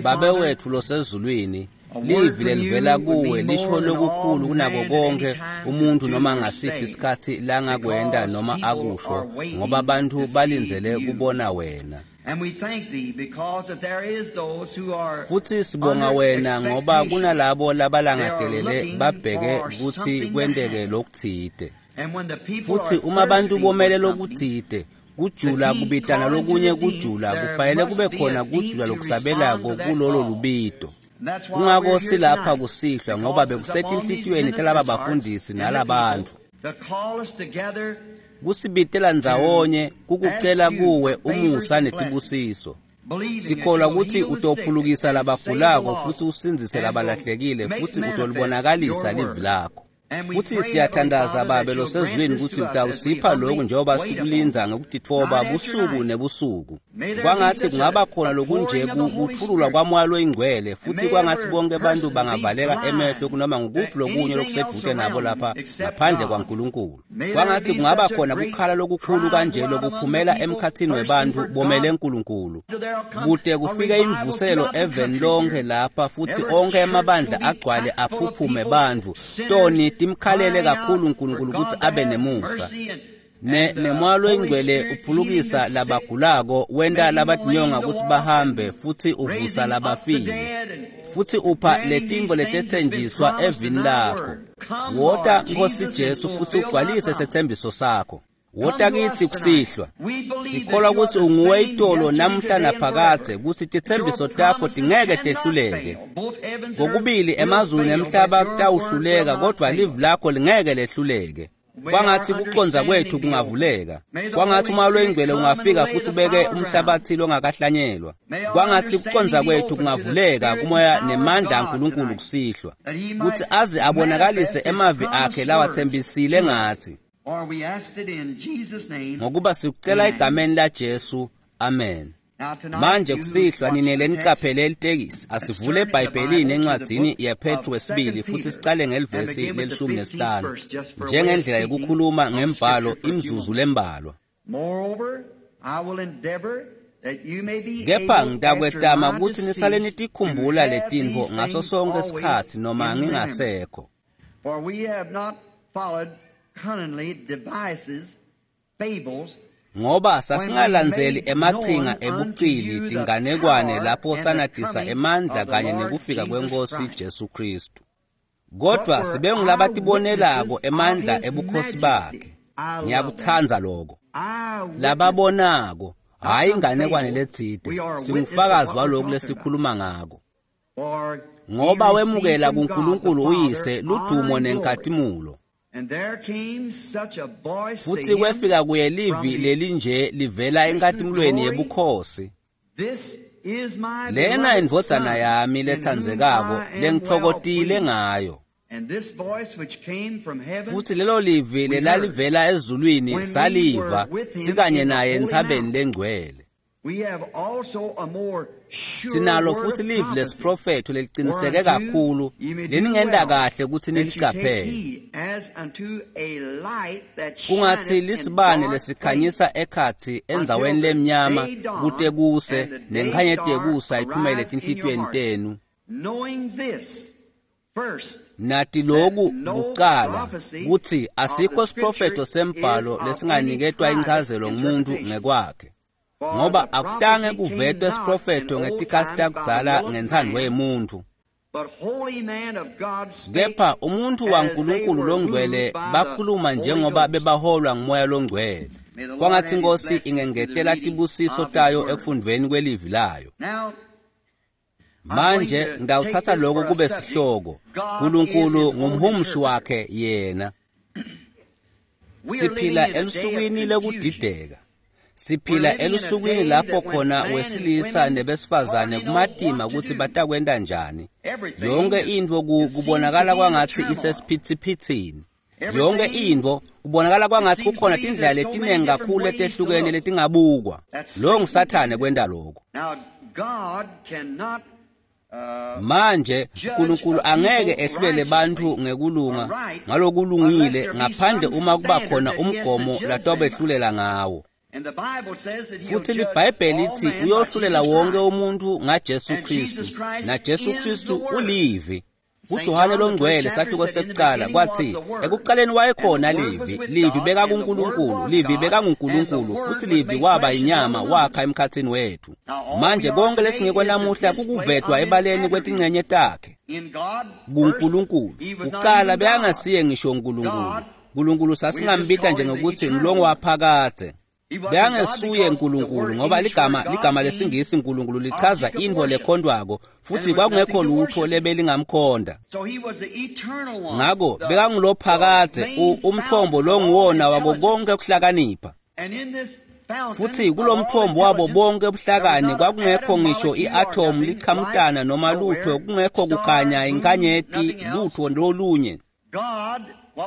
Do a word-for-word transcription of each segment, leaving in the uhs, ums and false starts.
Babe wetfu losezulwini, livi lelivela kuwe lisho lokukhulu kunako konke umuntu noma ngasiphi isikhatsi langakwenta noma akusho, ngoba bantfu balindzele kubona wena. Futsi sibonga wena ngoba kunalabo labalangatelele babheke kutsi kwenteke lokutsite. Futsi uma bantu bomele lokutsite, kujula kubitana lokunye kujula, kufanele kube khona kujula lokusabelako kulolo lubito. Kungako silapha kusihlwa ngoba bekusetinhlitiyweni talaba bafundisi nalabantfu. Kusibitela ndzawonye kukucela kuwe umusa netibusiso. Sikholwa kutsi utophulukisa labagulako futsi usindzise labalahlekile futsi utolibonakalisa livi lakho. Futsi siyathandaza Babe losezulwini kutsi utawusipha lokhu njengoba sikulindza ngekutitfoba busuku nebusuku. Kwangatsi kungaba khona lokunje kutfululwa kwaMoya loyiNgcwele, futsi kwangatsi bonke bantu bangavaleka emehlo kunoma ngukuphi lokunye lokusedvute nabo lapha ngaphandle kwaNkulunkulu. Kwangatsi kungaba khona kukhala lokukhulu kanje lokuphumela emkhatsini webantfu bomele Nkulunkulu, kute kufike imvuselo eveni lonke lapha futsi onke emabandla agcwale aphuphume bantfu toni timkhalele kakhulu uNkulunkulu kutsi abe nemusa. Ne nemoya loyingcwele uphulukisa labagulako, wenta labatinyonga kutsi bahambe, futsi uvusa labafile, futsi upha letintfo letetsenjiswa evini lakho. Wota Nkosi Jesu futsi ugcwalise setsembiso sakho. Wota kitsi kusihlwa. Sikholwa kutsi unguwe itolo namhla naphakadze, kutsi titsembiso takho tingeke tehluleke. Kokubili emazulu nemhlaba kutawuhluleka, kodvwa livi lakho lingeke lehluleke. Kwangatsi kucondza kwetfu kungavuleka. Kwangatsi uMoya loyiNgcwele ungafika futsi ubeke umhlabatsi longakahlanyelwa. Kwangatsi kucondza kwetfu kungavuleka kumoya nemandla aNkulunkulu kusihlwa, kutsi aze abonakalise emavi akhe lawatsembisile ngatsi. Ngokuba sikucela egameni laJesu, amen. Manje kusihlwa ninele nicaphele litekisi. Asivule eBhayibhelini encwadzini yePetru wesibili futsi sicale ngelivesi lelishumi nesihlanu njengendlela yekukhuluma ngembhalo imzuzu lembalwa. Kepha ngitakwetama kutsi nisale nitikhumbula letintfo ngaso sonke sikhatsi noma ngingasekho. Ngoba sasingalandzeli emachinga ebucili tinganekwane lapho sanatisa emandla kanye nekufika kwenkosi Jesu Kristu, kodvwa sibe ngulabatibonelako emandla ebukhosi bakhe. Ngiyakutsandza lokho. Lababonako, hhayi inganekwane letsite, singufakazi walokhu lesikhuluma ngako. Ngoba wemukela kuNkulunkulu uyise ludumo nenkhatimulo. Futsi kwefika kuye livi lelinje livela enkatimulweni yebukhosi. Lena indvodzana yami letsandzekako lengitfokotile ngayo. Futsi lelo livi lelalivela ezulwini saliva sikanye naye entsabeni lengcwele. Sinalo futsi livi lesiprofetho leliqiniseke kakhulu leningenta kahle kutsi nilicaphele. Kungatsi lisibane lesikhanyisa ekhatsi endzaweni lemnyama kute kuse nenkhanyeti yekusa iphumele etinhlitiyweni tenu. Nati loku kucala kutsi asikho siprofetho sembhalo lesinganiketwa inchazelo ngumuntu ngekwakhe. Ngoba akutange kuvetwe siprofetho ngetikhatsi takudzala ngentsandvo yemuntfu. Kepha umuntfu waNkulunkulu longcwele bakhuluma njengoba bebaholwa nguMoya longcwele. Kwangatsi Inkosi ingengetela tibusiso tayo ekufundvweni kwelivi layo. Manje ngitawutsatsa lokho kube sihloko. Nkulunkulu ngumhumushi wakhe yena. Siphila elusukwini lekudideka. Siphila elusukwini lapho khona wesilisa nebesifazane kumatima kutsi batakwenta njani. Yonke intfo kubonakala kwangatsi isesiphithiphithini. Yonke intfo kubonakala kwangatsi kukhona tindlela letinengi kakhulu letehlukene letingabukwa. Lo nguSathane kwenta lokho. Manje uNkulunkulu angeke ehlulele bantfu ngekulunga ngalokulungile ngaphandle uma kuba khona umgomo latobehlulela ngawo. Futhi liBhayibheli lithi uyohlulela wonke umuntu ngaJesu Kristu, naJesu Kristu ulivi. KuJohane longcwele sahluko sekuqala kwathi ekuqaleni wayekhona livi, livi beka kuNkulunkulu, livi beka nguNkulunkulu, futhi livi waba inyama wakha emkhathini wethu. Manje konke lesingekho namuhla kukuvetwa ebaleni kwetingcenye takhe kuNkulunkulu. Kuqala bekangasiye ngisho uNkulunkulu. uNkulunkulu sasingambita nje ngokuthi ngilongo waphakade. Bekangesuye uNkulunkulu ngoba ligama ligama lesingisi uNkulunkulu lichaza intfo lekhondwako, futhi kwakungekho lutho lebelingamkhonda. Ngako bekangulophakade, umthombo longuwona wako konke ukuhlakanipha. Futhi kulomthombo wabo bonke ubuhlakani kwakungekho ngisho i-atom lichamutana noma lutho, kungekho kukhanya inkanyeti lutho lolunye.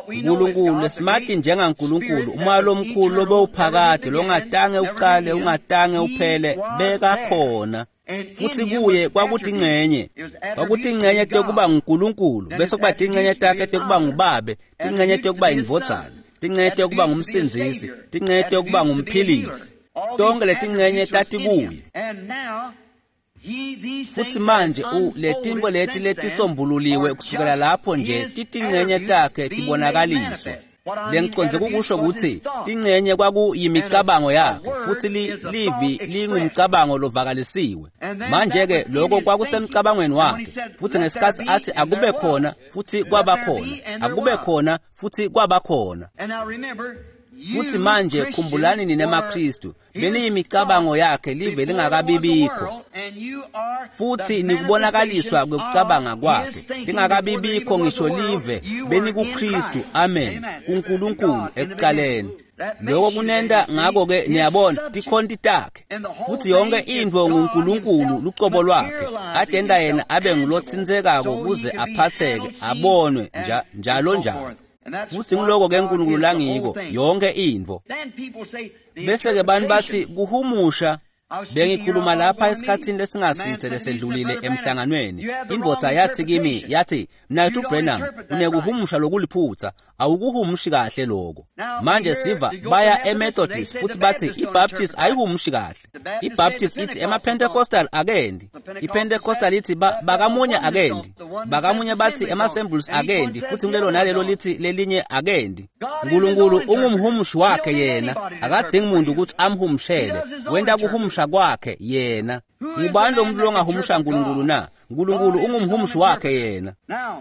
uNkulunkulu simati njengaNkulunkulu, umoya lomkhulu lobewuphakade longatange uqale ungatange uphele, bekakhona. Futhi kuye kwakuthi ingcenye kwakuthi ingcenye tekuba nguNkulunkulu, bese kuba tingcenye takhe tekuba ngubabe, tingcenye tekuba indvodzana, tingcenye tekuba ngumsindzisi, tingcenye tekuba ngumphilisi. Tonke letingcenye tatikuye. Futhi manje letintfo leti letisombululiwe kusukela lapho nje titingcenye takhe tibonakaliswa. Lengicondze kukusho ukuthi tingcenye kwakuyimicabango yakhe, futhi livi lingumcabango lovakalisiwe. Manje-ke lokho kwakusemcabangweni wakhe, futhi ngesikhathi athi akube khona, futhi kwaba khona, akube khona, futhi kwaba khona. Futhi manje khumbulani nina emaKristu, beniyimicabango yakhe live lingakabibikho, futhi nikubonakaliswa kwekucabanga kwakhe lingakabibikho ngisho live, benikuKristu. Amen, kuNkulunkulu ekuqaleni. Lokho kunenta ngakho-ke niyabona tikhonti takhe, futhi yonke intfo nguNkulunkulu lucobo lwakhe atenta yena abe ngulotsinsekako kuze aphatheke abonwe njalo njalo. Futhi ngiloko-ke uNkulunkulu langiko yonke intfo. Bese-ke bantu bathi kuhumusha. Bengikhuluma lapha esikhathini lesingasithe lesedlulile emhlanganweni. Indvodza yathi kimi, yathi, "Mnaketfu Branham, unekuhumusha lokuliphutha, awukuhumushi kahle lokho." Manje siva baya eMethodist futhi bathi iBaptist ayihumushi kahle. iBaptist ithi emaPentecostal akendi. iPentecostal ithi bakamunye akendi. Bakamunye bathi ema-Assemblies akendi, futhi kulelo nalelo lithi lelinye akendi. uNkulunkulu ungumhumushi wakhe yena, akadzingi muntu ukuthi amhumushele. Wenta kuhumusha kwakhe yena. Ngubani lo muntu longahumusha uNkulunkulu na? uNkulunkulu ungumhumushi wakhe yena.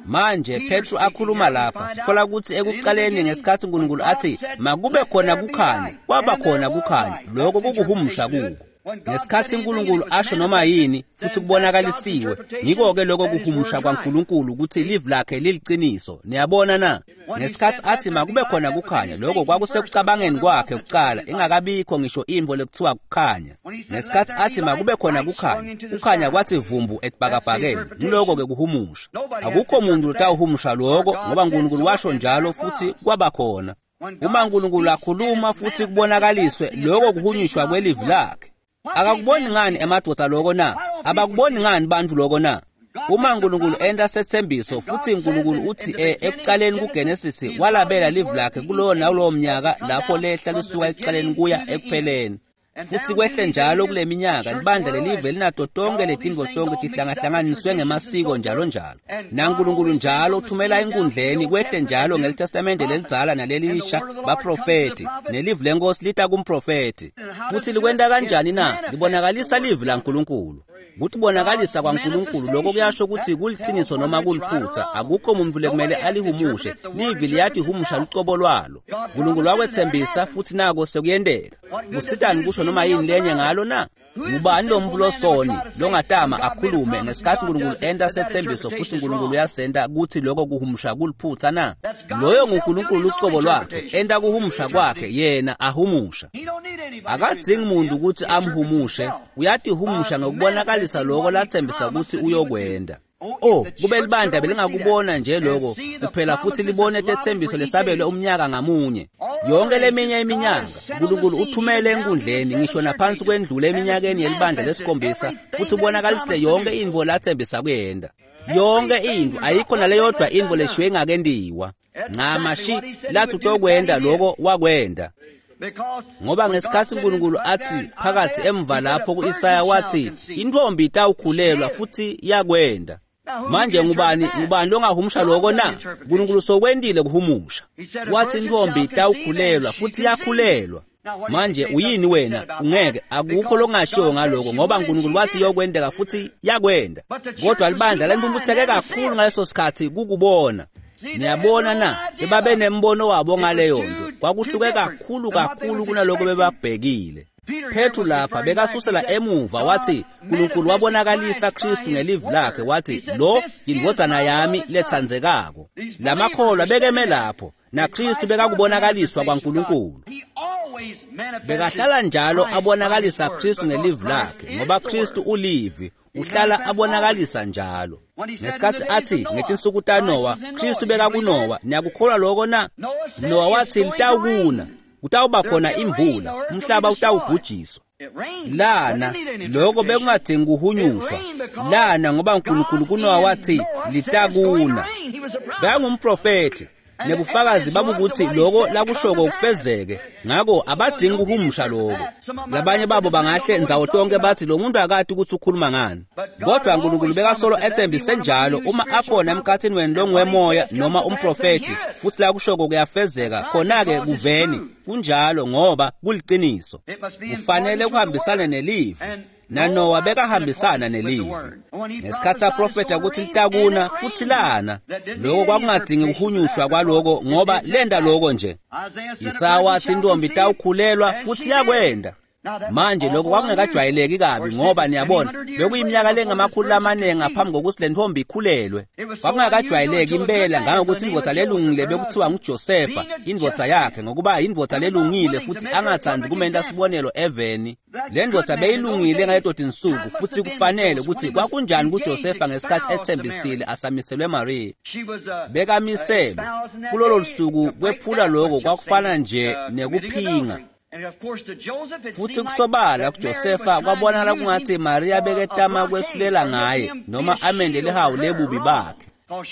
Manje Petru akhuluma lapha, sithola ukuthi ekuqaleni ngesikhathi uNkulunkulu athi makube khona kukhanya, kwaba khona kukhanya. Lokho kukuhumusha kuko. Ngesikhathi uNkulunkulu asho noma yini futhi kubonakalisiwe, ngiko-ke lokho kuhumusha kwaNkulunkulu ukuthi livi lakhe liliciniso. Niyabona na? Ngesikhathi athi makube khona kukhanya, lokho kwakusekucabangeni kwakhe kuqala, ingakabikho ngisho intfo lekuthiwa kukhanya. Ngesikhathi athi makube khona kukhanya, kukhanya kwathi vumbu etibhakabhakeni. Ngiloko-ke kuhumusha. Akukho muntu lotawuhumusha lokho ngoba uNkulunkulu washo njalo futhi kwaba khona. Uma uNkulunkulu akhuluma futhi kubonakaliswe, lokho kuhunyushwa kwelivi lakhe. Akakuboni ngani emadvodza lokho na? Abakuboni ngani bantu lokho na? Uma uNkulunkulu enta sethembiso futhi uNkulunkulu uthi ekuqaleni kuGenesis walabela livi lakhe kulowo nalowo mnyaka lapho lehla lisuka ekuqaleni kuya ekupheleni. Futhi kwehle njalo kule minyaka libandla lelive linato tonke letintfo tonke tihlangahlanganiswe ngemasiko njalo njalo. NaNkulunkulu njalo uthumela enkundleni kwehle njalo ngelitestamente lelidzala nalelisha baprofeti, nelivi lenkosi lita kumprofeti. Futhi likwenta kanjani na? Libonakalisa livi laNkulunkulu. Kutibonakalisa kwaNkulunkulu lokho kuyasho ukuthi kuliciniso noma kuliphutha. Akukho muntu lekumele alihumushe, livi liyatihumusha lucobo lwalo. uNkulunkulu wakwethembisa futhi nako sekuyenteka. Kusitani kusho noma yini lenye ngalo na? Ngubani lo mvu losoni longatama akhulume ngesikhathi uNkulunkulu enta sethembiso futhi uNkulunkulu uyasenta kuthi lokho kuhumusha kuliphutha na? Loyo nguNkulunkulu lucobo lwakhe enta kuhumusha kwakhe yena ahumusha. Akadzingi muntu ukuthi amhumushe, uyatihumusha ngokubonakalisa lokho lathembisa ukuthi uyokwenda. Oh, kube libandla belingakubona nje lokho kuphela futhi libone tethembiso lesabelwe umnyaka ngamunye. Yonke leminye iminyaka uNkulunkulu uthumele enkundleni ngisho naphansi kwendlule eminyakeni yelibandla lesikhombisa futhi ubonakalisile yonke intfo lathembisa kuyenda. Yonke intfo, ayikho naleyodwa intfo leshiywe ingakentiwa. Ncamashi lathi utokwenda lokho wakwenda. Ngoba ngesikhatsi uNkulunkulu athi phakathi emva lapho ku-Isaya wathi intfombi itawukhulelwa futhi yakwenda. Manje ngubani ngubani longahumusha lokho na? uNkulunkulu sokwendile kuhumusha. Wathi intfombi itawukhulelwa futhi yakhulelwa. Manje uyini wena? Ungeke akukho lokungashiwo ngaloko ngoba uNkulunkulu wathi iyokwendeka futhi yakwenda. Kodwa libandla lempumphutheke kakhulu ngaleso sikhathi kukubona. Niyabona na? Bebabe nembono wabo ngaleyo nto. Kwakuhluke kakhulu kakhulu kunaloko bebabhekile. Petru lapha bekasusela emuva wathi uNkulunkulu wabonakalisa Kristu ngelivi lakhe wathi lo yindvodzana yami letsandzekako. Lamakholwa bekeme lapho na Kristu bekakubonakaliswa kwaNkulunkulu. Bekahlala njalo abonakalisa Kristu ngelivi lakhe ngoba Kristu ulivi uhlala abonakalisa njalo. Ngesikhatsi athi ngetinsuku taNowa Kristu bekakuNowa, niyakukholwa lokho na? Nowa wathi litawukuna, kutawuba khona imvula, umhlaba utawubhujiswa. Lana lokho bekungadingi kuhunyushwa. Lana ngoba uNkulunkulu kuNowa wathi litakuna. Bekangumprofethi nebufakazi babukuthi lokho lakushoko kufezeke, ngako abadingi kuhumusha lokho. Labanye babo bangahle ndzawo tonke bathi lo muntu akati ukuthi ukhuluma ngani, kodwa uNkulunkulu bekasolo ethembise njalo uma akhona emkhathini wenu longuwemoya noma umprofethi futhi lakushoko kuyafezeka, khona-ke kuveni kunjalo ngoba kuliciniso. Kufanele kuhambisane nelivi. NaNowa bekahambisana nelivi. Ngesikhatsi aprofetha ukuthi litakuna futhi lana, lokho kwakungadingi kuhunyushwa kwaloko ngoba lenda lokho nje. Isaya wathi intombi itawukhulelwa futhi yakwenda. Manje lokho kwakungekajwayeleki kabi ngoba niyabona bekuyiminyaka lengamakhulu amaningi ngaphambi kokuthi le ntombi ikhulelwe. Kwakungakajwayeleki impela ngangokuthi indvodza lelungile bekuthiwa nguJosefa indvodza yakhe ngokuba indvodza lelungile futhi angathandi kumenta sibonelo eveni. Le ndvodza beyilungile ngaleto tinsuku futhi kufanele ukuthi kwakunjani kuJosefa ngesikhathi ethembisile asamiselwe Maria. Bekamiselwe kulolo lusuku kwephula lokho kwakufana nje nekuphinga. Futhi kusobala kuJosefa kwabonakala kungathi Maria beketama kwesulela ngaye noma amende lihawu lebubi bakhe,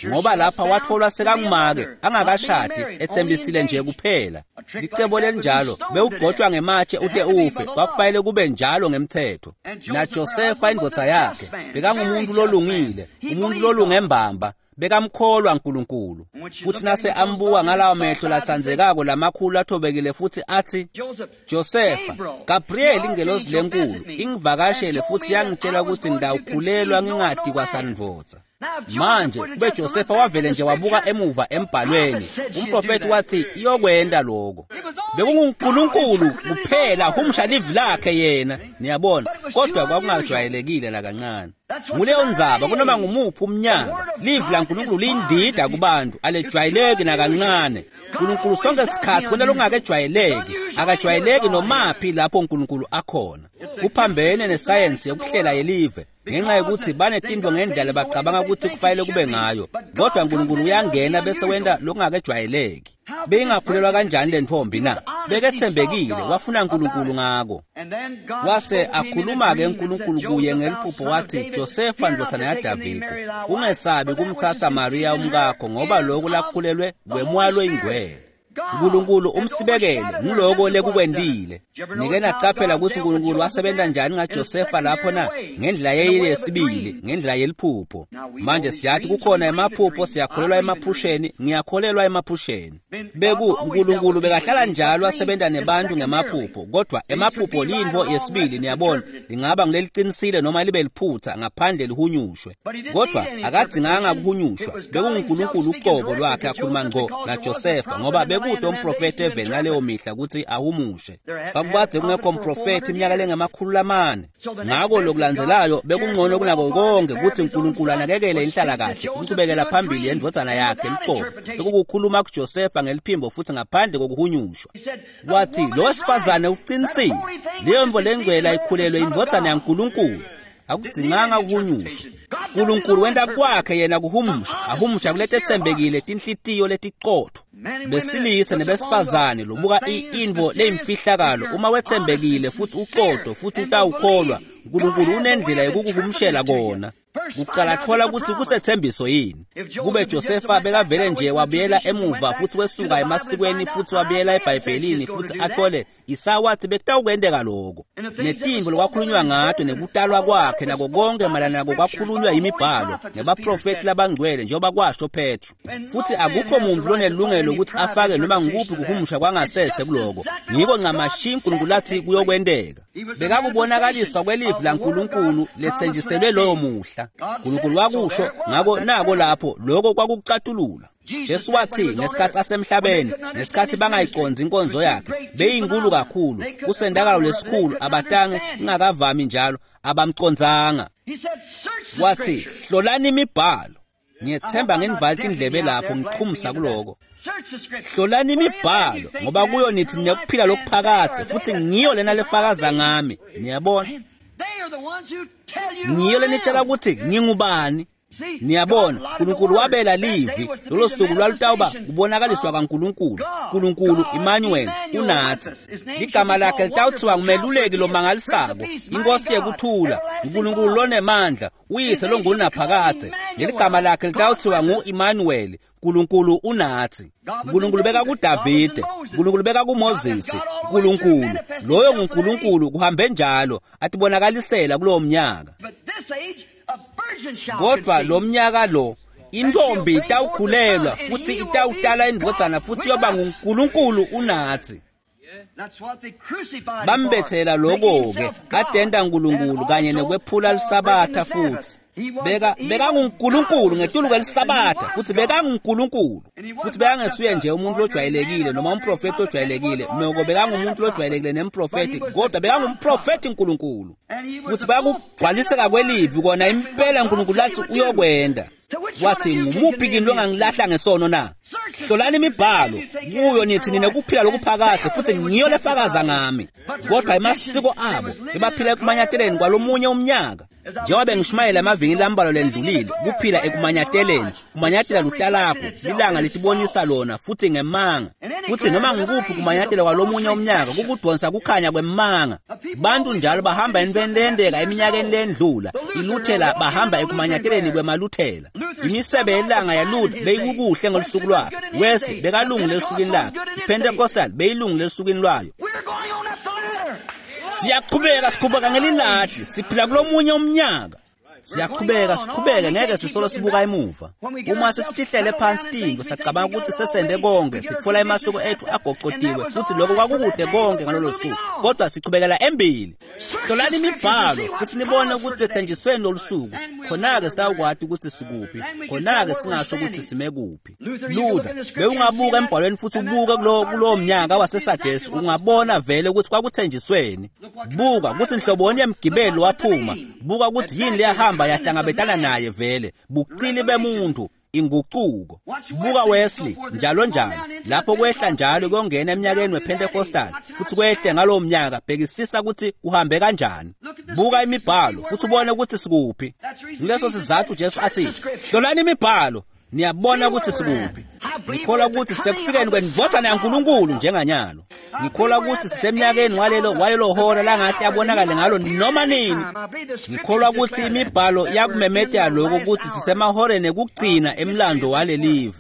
ngoba lapha watholwa sekangumake angakashadi ethembisile nje kuphela. Licebo lelinjalo bewugcotshwa ngematshe ute ufe, kwakufanele kube njalo ngemthetho. NaJosefa indvodza yakhe bekangumuntu lolungile, umuntu lolunge mbamba, bekamkholwa uNkulunkulu. Futhi nase ambuka ngalawo mehlo latsandzekako lamakhulu athobekile futhi athi, Josefa, Gabriel ingelosi lenkulu ingivakashele futhi yangitshela ukuthi ngidawukhulelwa ngingadi kwasandvodza. Manje kube Josefa wavele nje wabuka emuva embhalweni, umprofethi wathi iyokwenda lokho. BekunguNkulunkulu kuphela humusha livi lakhe yena, niyabona, kodwa kwakungajwayelekile nakancane. Nguleyo ndzaba kunoma ngumuphi umnyaka, livi laNkulunkulu liyindida kubantu, alejwayeleki nakancane. uNkulunkulu sonke sikhathi kwenta lokungakejwayeleki, akajwayeleki nomaphi lapho uNkulunkulu akhona. Kuphambene nesayensi yokuhlela yelive ngenxa yokuthi banetinto ngendlela bacabanga ukuthi kufanele kube ngayo, kodwa uNkulunkulu uyangena bese wenta lokungakejwayeleki. Beyingakhulelwa kanjani le ntombi na? Bekethembekile, wafuna uNkulunkulu ngako. Wase akhuluma-ke uNkulunkulu kuye ngeliphupho wathi, Josefa ndvodzana yaDavide, ungesabi kumtsatsa Maria umkakho ngoba lokhu lakukhulelwe kwemoya loyingcwele. uNkulunkulu umsibekele nguloko lekukwendile. Nike nacaphela ukuthi uNkulunkulu wasebenza njani ngaJosefa lapho na? Ngendlela yeyesibili, ngendlela yeliphupho. Manje siyathi kukhona emaphupho, siyakholelwa emaphusheni, ngiyakholelwa emaphusheni. Beku uNkulunkulu bekahlala njalo asebenza nebantu ngemaphupho, kodwa emaphupho liyintfo yesibili, niyabona, lingaba ngileliqinisile noma libe liphutha ngaphandle lihunyushwe. Kodwa akadzinganga kuhunyushwa, bekunguNkulunkulu uqobo lwakhe akhuluma ngqo naJosefa ngoba bekude umprofethi eveni ngaleyo mihla ukuthi ahumushe. Kwakukade kungekho mprofethi iminyaka lengamakhulu lamane. Ngako lokulandzelelayo bekungcono kunako konke ukuthi uNkulunkulu anakekele inhlalakahle inqubekela phambili yendvodzana yakhe luqobo. Bekukukhuluma kuJosefa ngeliphimbo futhi ngaphandle kokuhunyushwa. Wathi lo wesifazane uqinisile, leyo mvo lengcwele ayikhulelwe indvodzana yaNkulunkulu. Akudzinganga kuhunyushwa. uNkulunkulu wenta kwakhe yena kuhumusha, ahumusha kuletetsembekile tinhlitiyo letiqotho. Besilisa nebesifazane lobuka intfo leyimfihlakalo uma wetsembekile futhi uqotho futhi utawukholwa, uNkulunkulu unendlela yokukuhumushela kona. Kucala thola ukuthi kusethembiso yini. Kube Josefa bekavele nje wabuyela emuva futhi wesuka emasikweni futhi wabuyela eBhayibhelini futhi athole Isaya wathi bekutawukwenteka lokho. Netimvo lokwakhulunywa ngato nekutalwa kwakhe nako konke mayelana nako kwakhulunywa yimibhalo nebaprofethi labangcwele njengoba kwasho Petro. Futhi akukho muntu lonelungelo ukuthi afake noma ngikuphi kuhumusha kwangasese kuloko. Ngiko ncamashi uNkulunkulu athi kuyokwenteka. Bekakubonakaliswa kwelivi laNkulunkulu lethenjiselwe loyo muhla. uNkulunkulu wakusho, ngako nako lapho lokho kwakucatulula. Jesu wathi ngesikhathi asemhlabeni, ngesikhathi bangayiqondzi inkonzo yakhe, beyinkulu kakhulu, kusendakalo lesikhulu abatange ingakavami njalo, abamcondzanga. Wathi, hlolani imibhalo. Ngiyethemba ngenivale indlebe lapho ngichumisa kuloko. Hlolani imibhalo ngoba kuyo nithi nekuphila lokuphakadze futhi ngiyo lena lefakaza ngami. Niyabona? Ngiyo lenitshela ukuthi ngingubani. Niyabona, uNkulunkulu wabela livi lolo suku lwalutawuba kubonakaliswa kaNkulunkulu. uNkulunkulu Emmanuel unathi. Ligama lakhe litawuthiwa ngumeluleki lomangalisako, inkosi yekuthula, uNkulunkulu lonemandla, uyise longunaphakadze. Leligama lakhe litawuthiwa ngu-Emmanuel, uNkulunkulu unathi. uNkulunkulu beka kuDavide, uNkulunkulu beka kuMoses, uNkulunkulu loyo nguNkulunkulu kuhambe njalo atibonakalisela kulowo mnyaka. Kodwa lo mnyaka lo intombi itawukhulelwa futhi itawutala indvodzana futhi yoba nguNkulunkulu unathi. Bambethela lokho-ke adenda uNkulunkulu kanye nekwephula lisabatha futhi. Beka bekanguNkulunkulu ngetulu kwelisabatha futhi bekanguNkulunkulu futhi bekangesuye nje umuntu lojwayelekile noma umprofeti lojwayelekile, noko bekangumuntu lojwayelekile nemprofeti, kodwa bekangumprofeti uNkulunkulu futhi bayakugcwaliseka kwelivi kona impela uNkulunkulu athi uyokwenda. Wathi ngumuphi kini longangilahla ngesono na? Hlolani imibhalo kuyo nithi ninekuphila lokuphakadze futhi ngiyo lefakaza ngami. Kodwa emasiko abo bebaphila ekumanyateleni kwalomunye umnyaka. Njengoba bengishumayela emavikini lambalwa lendlulile, kuphila ekumanyateleni, kumanyatela lutalakho, lilanga litibonisa lona futhi ngemanga. Futhi noma ngikuphi kumanyatela kwalomunye umnyaka kukudonsa kukhanya kwemanga. Bantu njalo bahamba entweni leyenteka eminyakeni lendlula, iluthela bahamba ekumanyateleni kwemaluthela. Imisebe yelanga yaLuther beyikukuhle ngolusuku lwakhe, Wesley bekalungile esukwini lakhe, iPentecostal beyilungile esukwini lwayo. Siyaqhubeka siqhubeka ngeliladi, siphila kulomunye umnyaka. Siyaqhubeka siqhubeke ngeke sisolo sibuka emuva. Uma sesitihlele phansi tintfo sacabanga ukuthi sesende konke, sitfola emasiko ethu agocotiwe futhi lokho kwakukuhle konke ngalolo suku, kodwa siqhubekela embili. Hlolani imibhalo futhi nibone ukuthi lethenjisweni lolu suku, khona-ke sitawukwati ukuthi sikuphi, khona-ke singasho ukuthi sime kuphi. Luther, bewungabuka embhalweni futhi ubuke kulowo kulowo mnyaka waseSadesi, ungabona vele ukuthi kwakuthenjisweni. Buka ukuthi nhloboni yemgibelo waphuma, buka ukuthi yini leyahamba yahlangabetana naye vele, bucili bemuntu, inguquko. Buka Wesley njalo njalo, lapho kwehla njalo kuyongena eminyakeni wePentecostal futhi kwehle ngalowo mnyaka. Bhekisisa ukuthi kuhambe kanjani. Buka imibhalo futhi ubone ukuthi sikuphi. Nguleso sizathu Jesu athi hlolani imibhalo, niyabona ukuthi sikuphi. Ngikholwa ukuthi sekufikeni kwendvodzana yaNkulunkulu njenganyalo. Ngikholwa ukuthi sisemnyakeni walelo walelo hora langahle abonakale ngalo noma nini. Ngikholwa ukuthi imibhalo yakumemetela lokho ukuthi sisemahoreni ekugcina emlando walelive.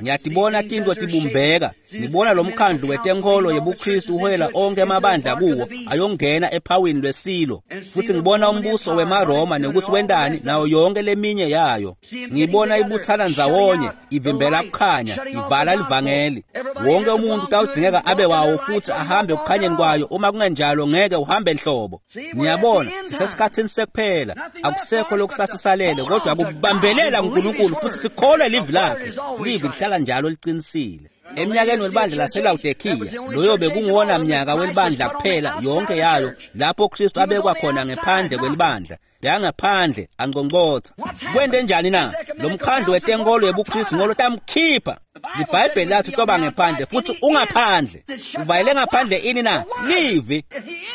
Ngiyatibona tintfo tibumbeka, ngibona lo mkhandlu wetenkolo yebuKristu uholela onke amabandla kuwo ayongena ephawini lwesilo, futhi ngibona umbuso wemaRoma nekuthi wentani nayo yonke leminye yayo. Ngibona ibuthana ndzawonye, ivimbela kukhanya, ivala livangeli. Wonke umuntu utawudzingeka abe wawo futhi ahambe ekukhanyeni kwayo, uma kungenjalo ngeke uhambe nhlobo. Niyabona, sisesikhathini sekuphela, akusekho lokusasisalele, kodwa kubambelela kuNkulunkulu futhi sikholwe livi lakhe. Livi lihlala njalo liqinisile. Eminyakeni welibandla laseLawodikiya, loyo bekunguwona mnyaka welibandla kuphela yonke yayo lapho Kristu abekwa khona ngephandle kwelibandla. Bekangaphandle angqongqotha. Kwente njani na? Lo mkhandlu wetenkolo yebuKristu ngolo tamkhipha. LiBhayibheli lathi utoba ngephandle futhi ungaphandle. Uvayele ngaphandle ini na? Livi.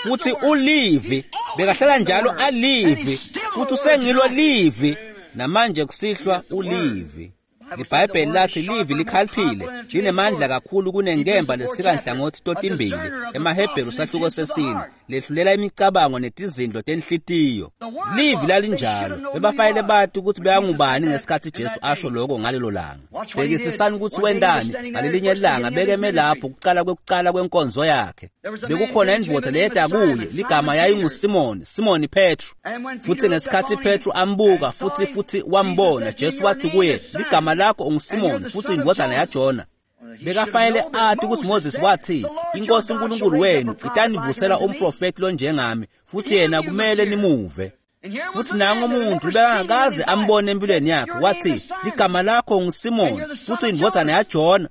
Futhi ulivi. Bekahlala njalo alivi. Futhi usengilo livi. Namanje kusihlwa ulivi. LiBhayibheli lathi livi likhaliphile, linemandla kakhulu kunenkemba lesika nhlangothi totimbili, emaHebheru sahluko sesine, lehlulela imicabango netizindlo tenhlitiyo. Livi lalinjalo, bebafanele bati ukuthi bekangubani ngesikhathi Jesu asho lokho ngalelo langa. Bhekisisani ukuthi wendani ngalelinye ilanga bekeme lapho kuqala kwekuqala kwenkonzo yakhe. Bekukhona indvodza leyeda kuye, ligama yayinguSimoni, Simoni Petru. Futhi ngesikhathi Petru ambuka futhi futhi wambona, Jesu wathi kuye, ligama lakho unguSimoni futhi indvodzana yaJona. Bekafanele athi ukuthi Moses wathi, inkosi uNkulunkulu wenu itanivusela umprofeti lonjengami, futhi yena kumele nimuve. Futhi nangu umuntu bekangakaze ambone empilweni yakhe, wathi, ligama lakho nguSimoni futhi indvodzana yaJona.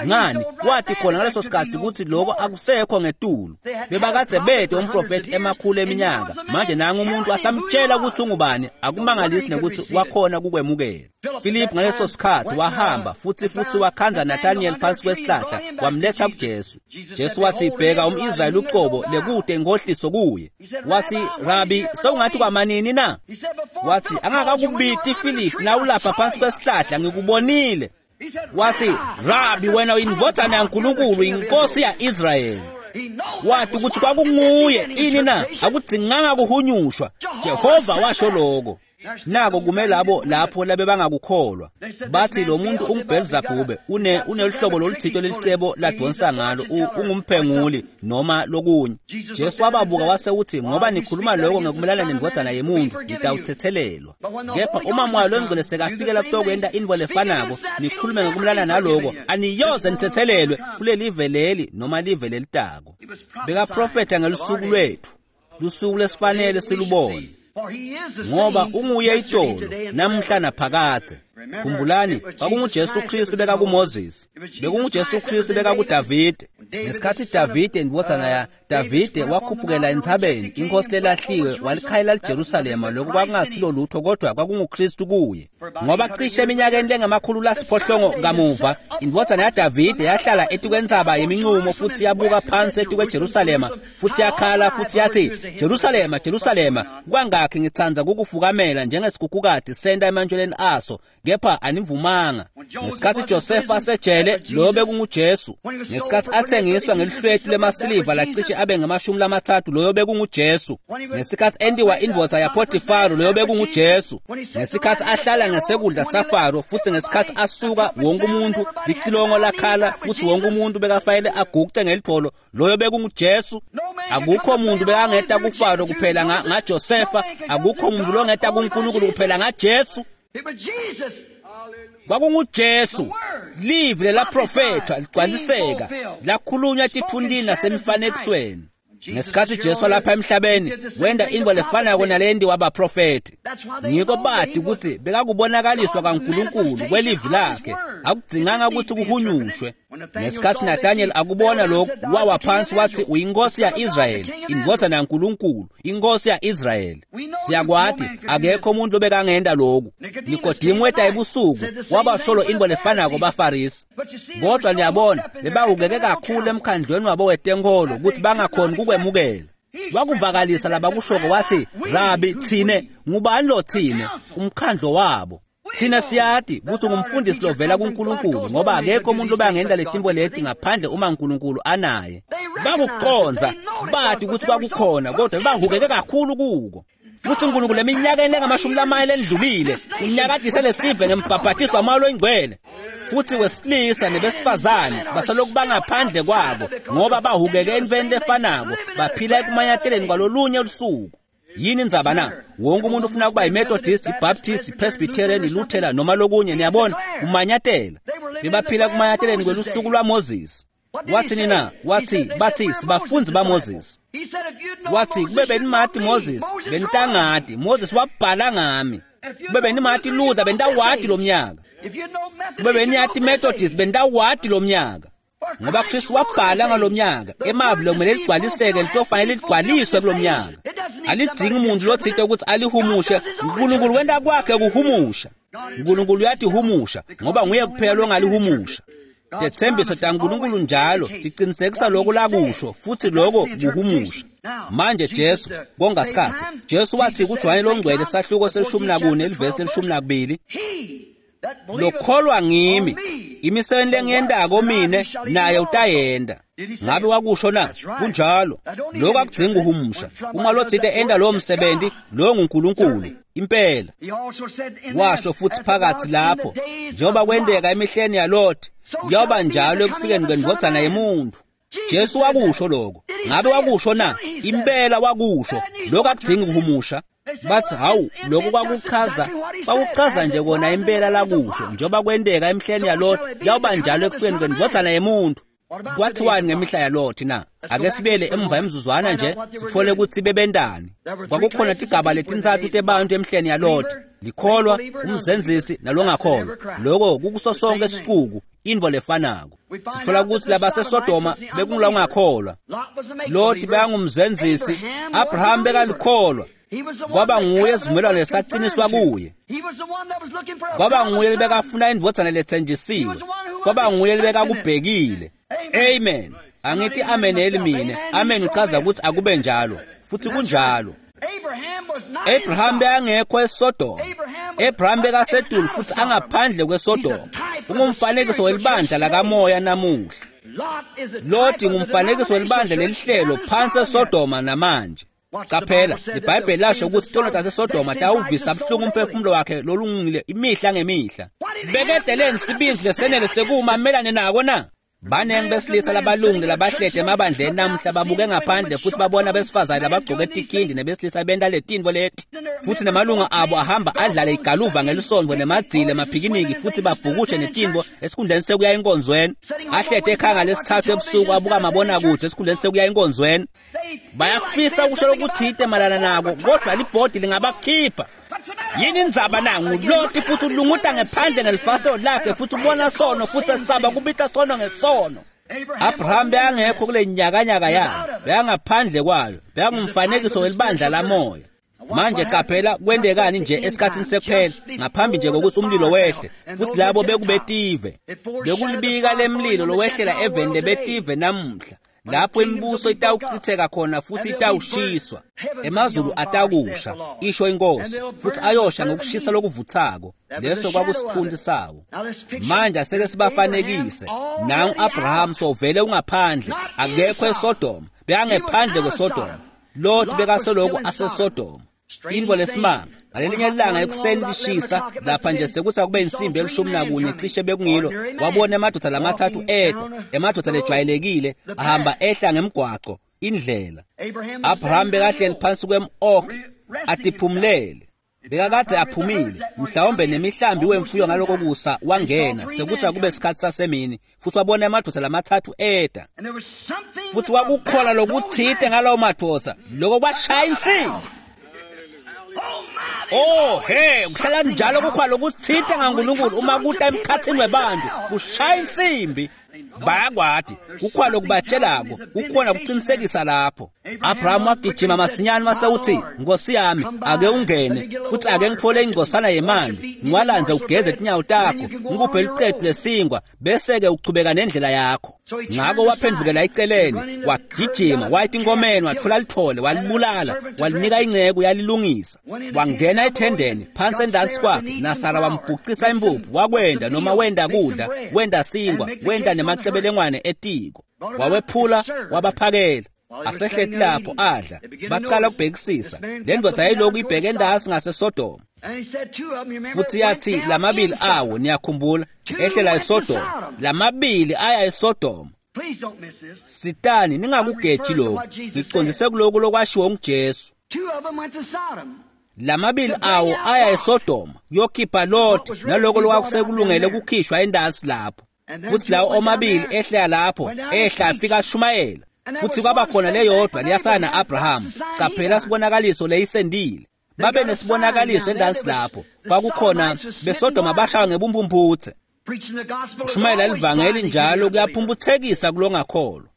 Ngani wathi khona ngaleso sikhathi ukuthi lokho akusekho ngetulu. Bebakade bede umprofeti emakhulu eminyaka, manje nangu umuntu asamtshela ukuthi ungubani, akumangalisi nokuthi wakhona kukwemukela. Philip ngaleso sikhathi wahamba futhi futhi wakhandza Nathaniel phansi kwesihlahla, wamletha kuJesu. Jesu wathi, bheka umIsrayeli uqobo lekude inkohliso kuye. Wathi, Rabi, sewungathi kwamanini na? Wathi, angakakubiti Philip nawulapha phansi kwesihlahla ngikubonile. Wathi, Rabi, wena uyindvodzana yaNkulunkulu, inkosi ya-Israyeli. Wathi ukuthi kwakunguye ini na? Akudzinganga kuhunyushwa. Jehova washo lokho. Nako kume labo lapho labebangakukholwa. Bathi lo muntu unguBelzebube, une unelihlobo loluthito lelicebo ladonsa ngalo, ungumphenguli noma lokunye. Jesu wababuka wase uthi, ngoba nikhuluma lokho ngekumelana nendvodzana yemuntu, nitawuthethelelwa. Kepha uma Moya loNgcwele sekafikela kutokwenta intfo lefanako, nikhulume ngekumelana naloko, aniyoze nithethelelwe kulelive leli noma live lelitako. Bekaprofetha ngelusuku lwethu, lusuku lesifanele silubone. Ngoba unguye itolo namhla naphakadze. Khumbulani, kwakunguJesu Kristu bekakuMoses, bekunguJesu Kristu bekakuDavide. Ngesikhathi Davide indvodzana ya Davide wakhuphukela entsabeni, inkosi lelahliwe, walikhayela liJerusalema. Lokho kwakungasilo lutho kodwa kwakunguKristu kuye. Ngoba cishe eminyakeni lengamakhulu lasiphohlongo kamuva, indvodzana yaDavide yahlala etikwentsaba yeminqumo futhi yabuka phansi etikweJerusalema, futhi yakhala futhi yathi, Jerusalema, Jerusalema, kwangakhi ngitsandza kukufukamela njengesikhukhukati senta emantjweleni aso, kepha anivumanga. Ngesikhathi Josefa asejele, lo bekunguJesu. Ngesikhathi athengiswa ngelihlwetu lemasiliva lacishe abe ngamashumi lamathathu, loyo bekunguJesu. Ngesikhathi entiwa indvodza yaPotifaro, loyo bekunguJesu. Ngesikhathi ahlala ngesekudla saFaro, futhi ngesikhathi asuka wonke umuntu licilongo lakhala, futhi wonke umuntu bekafanele aguce ngelidvolo, loyo bekunguJesu. Akukho muntu bekangeta kuFaro kuphela ngaJosefa, akukho muntu longeta kuNkulunkulu kuphela ngaJesu. KwakunguJesu, livi lelaprofetha ligcwaliseka, lakhulunywa etithundini nasemifanekisweni. Ngesikhathi Jesu lapha emhlabeni, wenda intfo lefanako nalendi wabaprofeti. Ngiko bati ukuthi bekakubonakaliswa kaNkulunkulu kwelivi lakhe, akudzinganga ukuthi kuhunyushwe. Ngesikhathi Nathaniel akubona lokhu, wawa phansi wathi, uyinkosi ya-Israyeli, indvodzana yaNkulunkulu, inkosi ya-Israyeli. Siyakwati akekho umuntu lobekangenda lokhu. Nikodemu weta ebusuku, wabasholo intfo lefanako baFarisi. Kodwa niyabona, bebahukeke kakhulu emkhandlweni wabo wetenkholo ukuthi bangakhoni kukwemukela. Wakuvakalisa labakushoko wathi, Rabi, thine ngubani lo thine? Umkhandlo wabo. Thina siyati ukuthi ngumfundisi lovela kuNkulunkulu, ngoba akekho umuntu obangenda letimbo leti ngaphandle uma uNkulunkulu anaye. Bakuqonza, bati ukuthi kwakukhona, kodwa bahukeke kakhulu kuko. Futhi uNkulunkulu eminyakeni lengamashumi lamane lendlulile unyakadise lesive ngembhabhatiso waMoya loNgcwele. Futhi wesilisa nebesifazane basalokhu bangaphandle kwabo, ngoba bahukeke entfweni lefanako, baphila ekumanyateleni kwalolunye lusuku. Yini indzaba na? Wonke umuntu ufuna ukuba yiMethodist, iBaptist, iPresbyterian, iLuthela noma lokunye, niyabona, umanyatela. Bebaphila kumanyateleni kwelusuku lwaMoses. Wathi nina, wathi bathi sibafunzi baMoses. Wathi kube benimati Moses, benitangati, Moses wabhala ngami. Kube benimati Luther, benitawati lo mnyaka. Kube beniyati Methodist, benitawati lo mnyaka. Ngoba Kristu wabhala ngalomnyaka, emavi lokumele ligcwaliseke litofanele ligcwaliswe kulomnyaka. Alidzingi umuntu lothite ukuthi alihumushe, uNkulunkulu wenta kwakhe kuhumusha. uNkulunkulu uyatihumusha ngoba nguye kuphela longalihumusha. Tetsembiso taNkulunkulu njalo tiqinisekisa lokho lakusho, futhi lokho kuhumusha. Manje Jesu kongasikhathi, Jesu wathi kuJohane loNgcwele sahluko selishumi nakune livesi lelishumi nakubili, Lokholwa ngimi, imisebenti lengiyentako mine naye utayenta. Ngabe wakusho na? Kunjalo. Lokho akudzingi kuhumusha. Uma lotsite enta lowo msebenzi, lowo nguNkulunkulu impela. Washo futhi phakathi lapho, njengoba kwenteka emihleni yaLothi, kuyoba njalo ekufikeni kwendvodzana yemuntu. Jesu wakusho lokho. Ngabe wakusho na? Impela wakusho. Lokho akudzingi kuhumusha. Bathi hawu, lokho kwakuchaza kwakuchaza nje kona impela lakusho, njengoba kwenteka emihleni yaLothi, kuyoba njalo ekufikeni kwendvodzana yemuntu. Kwathiwani ngemihla yaLothi na? Ake sibuyele emva emzuzwana nje sithole ukuthi bebentani. Kwakukhona tigaba letintsatfu tebantu emihleni yaLothi: likholwa, umzenzisi nalongakholwa. Lokho kukuso sonke isicuku, intfo lefanako. Sitfola ukuthi labaseSodoma bekungulongakholwa, Loti bekangumzenzisi, Abraham bekalikholwa. Kwaba nguye isivumelwano lesaqiniswa kuye. Kwaba nguye lebekafuna indvodzana letsenjisiwe. Kwaba nguye lebekakubhekile. Amen. Angithi ameneli mine. Amen uchaza ukuthi akube njalo, futhi kunjalo. Abraham bekangekho eSodoma. Abraham bekasetulu futhi angaphandle kweSodoma. Ungumfanekiso welibandla lakamoya namuhla. Loti ngumfanekiso welibandla lelihlelo phansi eSodoma namanje. Qaphela, iBhayibheli lasho ukuthi tono taseSodoma tawuvisa buhlungu umphefumulo wakhe lolungile imihla ngemihla. Bekedeleni sibindzi lesenele sekuma melane nako na? Banengi besilisa labalungile labahlede emabandleni namuhla babuke ngaphandle futhi babona besifazane labagcoke tikindi nebesilisa benta letintfo leti, futhi nemalunga abo ahamba adlale igaluva ngelisondvo nemadzile emaphikiniki futhi babhukushe netintfo esikhundleni sekuya enkonzweni. Ahlede ekhaya ngalesithathu ebusuku abuka amabonakude esikhundleni sekuya enkonzweni. Bayafisa ukusho lokuthite malana nako, kodwa libhodi lingabakhipha. Yini indzaba na? NguLoti futhi ulunguta ngephandle ngelifasitelo lakhe futhi ubona sono futhi esaba kubita sono ngesono. Abraham bekangekho kule nyakanyaka yayo, bekangaphandle kwayo, bekangumfanekiso welibandla lamoya. Manje qaphela kwentekani nje esikhathini sekuphela, ngaphambi nje kokuthi umlilo wehle, futhi labo bekubetive. Bekulibika lemlilo lowehlela eveni lebetive namuhla, lapho imibuso itawuchitheka khona futhi itawushiswa. Emazulu atakusha, isho inkosi, futhi ayosha ngokushisa lokuvuthako. Leso kwakusithunti sawo. Manje aseke sibafanekise. Nangu Abraham sovele ungaphandle, akekho eSodoma, bekangephandle kweSodoma. Lot bekasoloko aseSodoma. Intfo lesimanga, ngalelinye ilanga ekuseni lishisa, lapha nje sekuthi akube insimbi elishumi nakunye cishe bekungilo, wabona emadoda lamathathu eta, emadoda lejwayelekile, ahamba ehla ngemgwaco, indlela. Abraham bekahleli phansi kwem-oak, atiphumulele. Bekakade aphumile, mhlawumbe nemihlambi wemfuyo ngaloko kusa wangena, sekuthi akube sikhathi sasemini, futhi wabona emadoda lamathathu eta. Futhi kwakukhona lokuthite ngalawo madoda, lokho kwashaya insimbi. Oh he, kuhlala njalo kukhona lokuthite ngaNkulunkulu uma kuta emkhathini webantu, kushaya insimbi. Bayakwati, kukhona lokubatshelako, kukhona kuqinisekisa lapho. Abraham wagijima masinyane wase uthi, Nkosi yami, ake ungene, futhi ake ngithole ingcosana yemanti, ngiwalandze ugeze tinyawo takho, ngikuphe liqedu lesingwa, bese-ke uchubeka nendlela yakho. Ngako waphendukela eceleni, wagijima, waya enkomeni, wathola lithole, walibulala, walinika inceku yalilungisa. Wangena ethendeni, phansi endansi kwakhe, naSara wambhucisa impuphu, wakwenda noma wenda kudla, wenda singwa, wenda nemacebelengwane etiko. Wawephula, wabaphakela. Asehleti lapho adla, baqala ukubhekisisa. Le ndoda yayilokhu ibheke endasi ngaseSodoma. Futhi yathi lamabili awo, niyakhumbula, ehlela eSodoma. Lamabili aya eSodoma. Sitani ningakugeji lokhu, ngiqondise kulokhu lokwashiwo nguJesu. Lamabili awo aya eSodoma kuyokhipha Lot naloko lokwakusekulungele ukukhishwa endasi lapho. Futhi lawo omabili ehlela lapho, ehla afika ashumayela. Futhi kwaba khona leyodwa liyasana na-Abraham. Qaphela sibonakaliso leyisendile. Babe nesibonakaliso endansi lapho. Kwakukhona beSodoma bashawa ngebumphumputhe. Ushumayela livangeli njalo kuyaphumputhekisa kulongakholwa.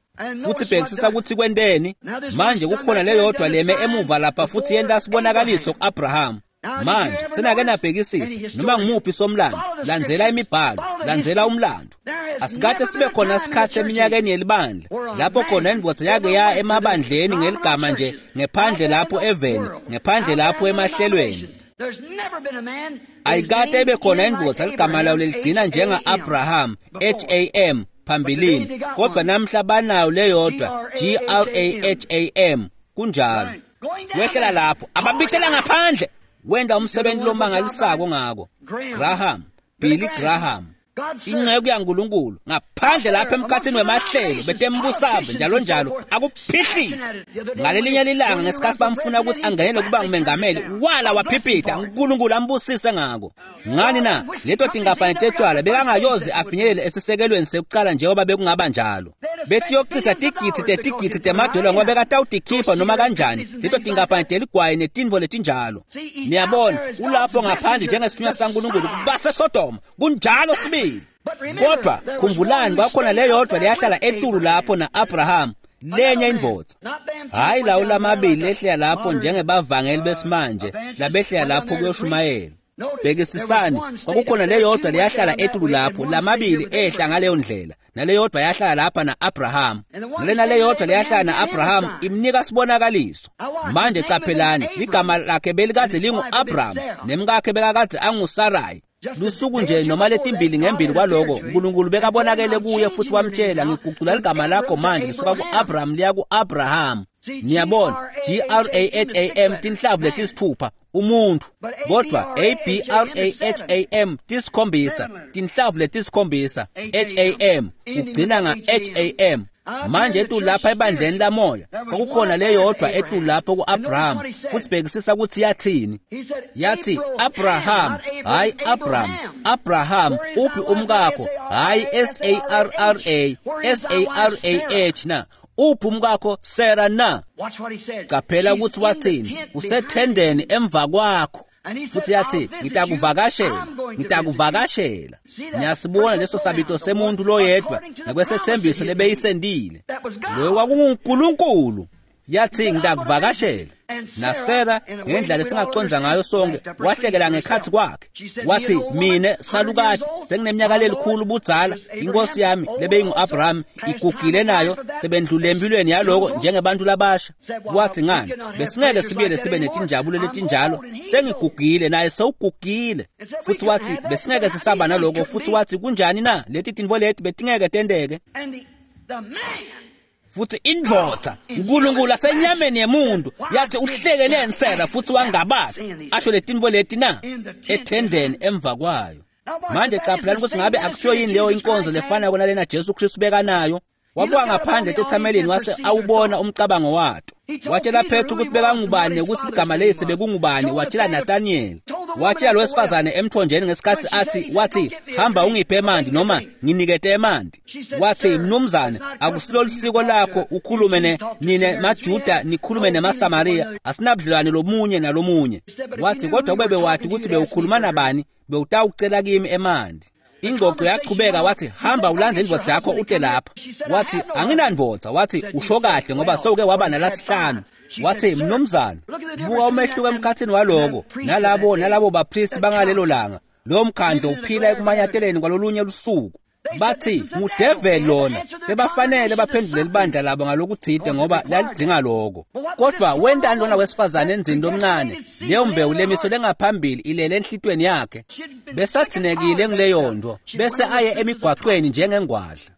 Futhi bhekisisa ukuthi kwenteni. Manje kukhona leyodwa leme emuva lapha futhi yenta sibonakaliso ku-Abraham. Manje senake nabhekisisa noma ngumuphi somlando, landzela imibhalo, landzela umlando. Asikade sibe khona isikhathi eminyakeni yelibandla lapho khona indvodza yake ya emabandleni ngeligama nje, ngephandle lapho eveni, ngephandle lapho emahlelweni. Ayikade ibe khona indvodza ligama layo leligcina njenga-Abraham, H A M, phambilini, kodwa namhla banayo leyodwa, G R A H A M. Kunjalo. Wehlela lapho, ababitela ngaphandle, wenda umsebenzi lomangalisako ngako. Graham, Billy Graham, inceku yaNkulunkulu, ngaphandle lapha emkhathini wemahlelo betembusave njalo njalo, akuphihlile. Ngalelinye lilanga ngesikhathi bamfuna ukuthi angenele kuba ngumengameli, wala waphiphita, uNkulunkulu ambusise ngako. Ngani na? Leto tinkampani tetshwala bekangayoze afinyelele esisekelweni sekucala njengoba bekungaba njalo. Betiyochitha tigidzi tetigidzi temadola ngoba bekatawutikhipha noma kanjani leto tinkampani teligwayi netintfo letinjalo. Niyabona, ulapho ngaphandle njengesithunywa sikaNkulunkulu baseSodoma. Kunjalo sibili. Kodwa khumbulani, kwakhona leyodwa leyahlala etulu lapho na-Abraham, lenye indvodza. Hhayi lawo lamabili lehlela lapho njengebavangeli besimanje labehlela lapho kuyoshumayela. Bhekisisani, kwakukhona leyodwa leyahlala etulu lapho, lamabili ehla ngaleyo ndlela, naleyodwa yahlala lapha na-Abraham. Nalena leyodwa leyahlala na-Abraham imnika sibonakaliso. Manje caphelani, ligama lakhe belikadze lingu-Abraham, nemkakhe bekakadze anguSarai. Lusuku nje noma letimbili ngembili kwaloko, uNkulunkulu bekabonakele kuye futhi wamtshela, ngigucula ligama lakho manje lisuka ku-Abraham liya ku-Abraham. Niyabona, G R A H A M tinhlavu letisithupha umuntu, kodwa A B R A H A M tisikhombisa, tinhlavu letisikhombisa, H A M ugcina nga H A M. Manje etu lapha ebandleni lamoya kwakukhona leyodwa etu lapho ku-Abraham, futhi bhekisisa ukuthi yathini. Yathi Abraham, hayi Abraham, Abraham uphi umkakho? Hayi S A R R A, S A R A H na. Uphi umkakho Sarah na? Qaphela ukuthi wathini, usethendeni emva kwakho. Futhi yathi ngitakuvakashela, ngitakuvakashela. Niyasibona leso sabito semuntu loyedwa nakwesethembiso lebeyisendile. Loyo kwakunguNkulunkulu. Yathi ngitakuvakashela. NaSarah ngendlela lesingaqonda ngayo sonke wahlekela ngekhathi kwakhe. Wathi mine salukati sengineminyaka lelikhulu budzala, inkosi yami lebeyingu-Abraham igugile nayo, sebendlule empilweni yaloko njengebantu labasha. Wathi ngani, besingeke sibuyele sibe netinjabulo letinjalo, sengigugile naye sewugugile. Futhi wathi besingeke sisaba naloko. Futhi wathi kunjani na leti tintfo leti betingeke tenteke. Futhi indvodza uNkulunkulu asenyameni yemuntu yathi uhlekeleni Sarah futhi wangabata asho letintfo leti na ethendeni emva kwayo. Manje caphelani ukuthi ngabe akusiyo yini leyo inkonzo lefana nalena Jesu Kristu bekanayo. Wabuka ngaphandle etethameleni wase awubona umcabango wato. Watshela Petru ukuthi bekangubani ukuthi igama leyise bekungubani. Watshela Nathaniel, watshela lo wesifazane emthonjeni ngesikhathi athi wathi hamba ungiphe emanti noma nginikete emanti. Wathi mnumzane, akusilo lisiko lakho ukhulume ne nine maJuda nikhulume nemaSamariya, asinabudlelwane lomunye nalomunye. Wathi kodwa kube bewathi ukuthi bewukhuluma nabani bewutawucela kimi emanti. Ingxoxo yachubeka, wathi hamba ulandze indvodza yakho ute lapha. Wathi anginandvodza. Wathi usho kahle ngoba sewuke waba nalasihlanu. Wathi mnumzane, buka umehluko emkhathini waloko nalabo nalabo bapristi bangalelo langa. Lo mkhandlo uphila ekumanyateleni kwalolunye lusuku. Bathi ngudeveli lona, bebafanele baphendule libandla labo ngalokuthide ngoba lalidzinga lokho. Kodwa wentani lona wesifazane enzini lomncane, leyo mbewu lemiso lengaphambili ilele enhlitweni yakhe, besathinekile kuleyo nto, bese aye emigwaqweni njengengwadla.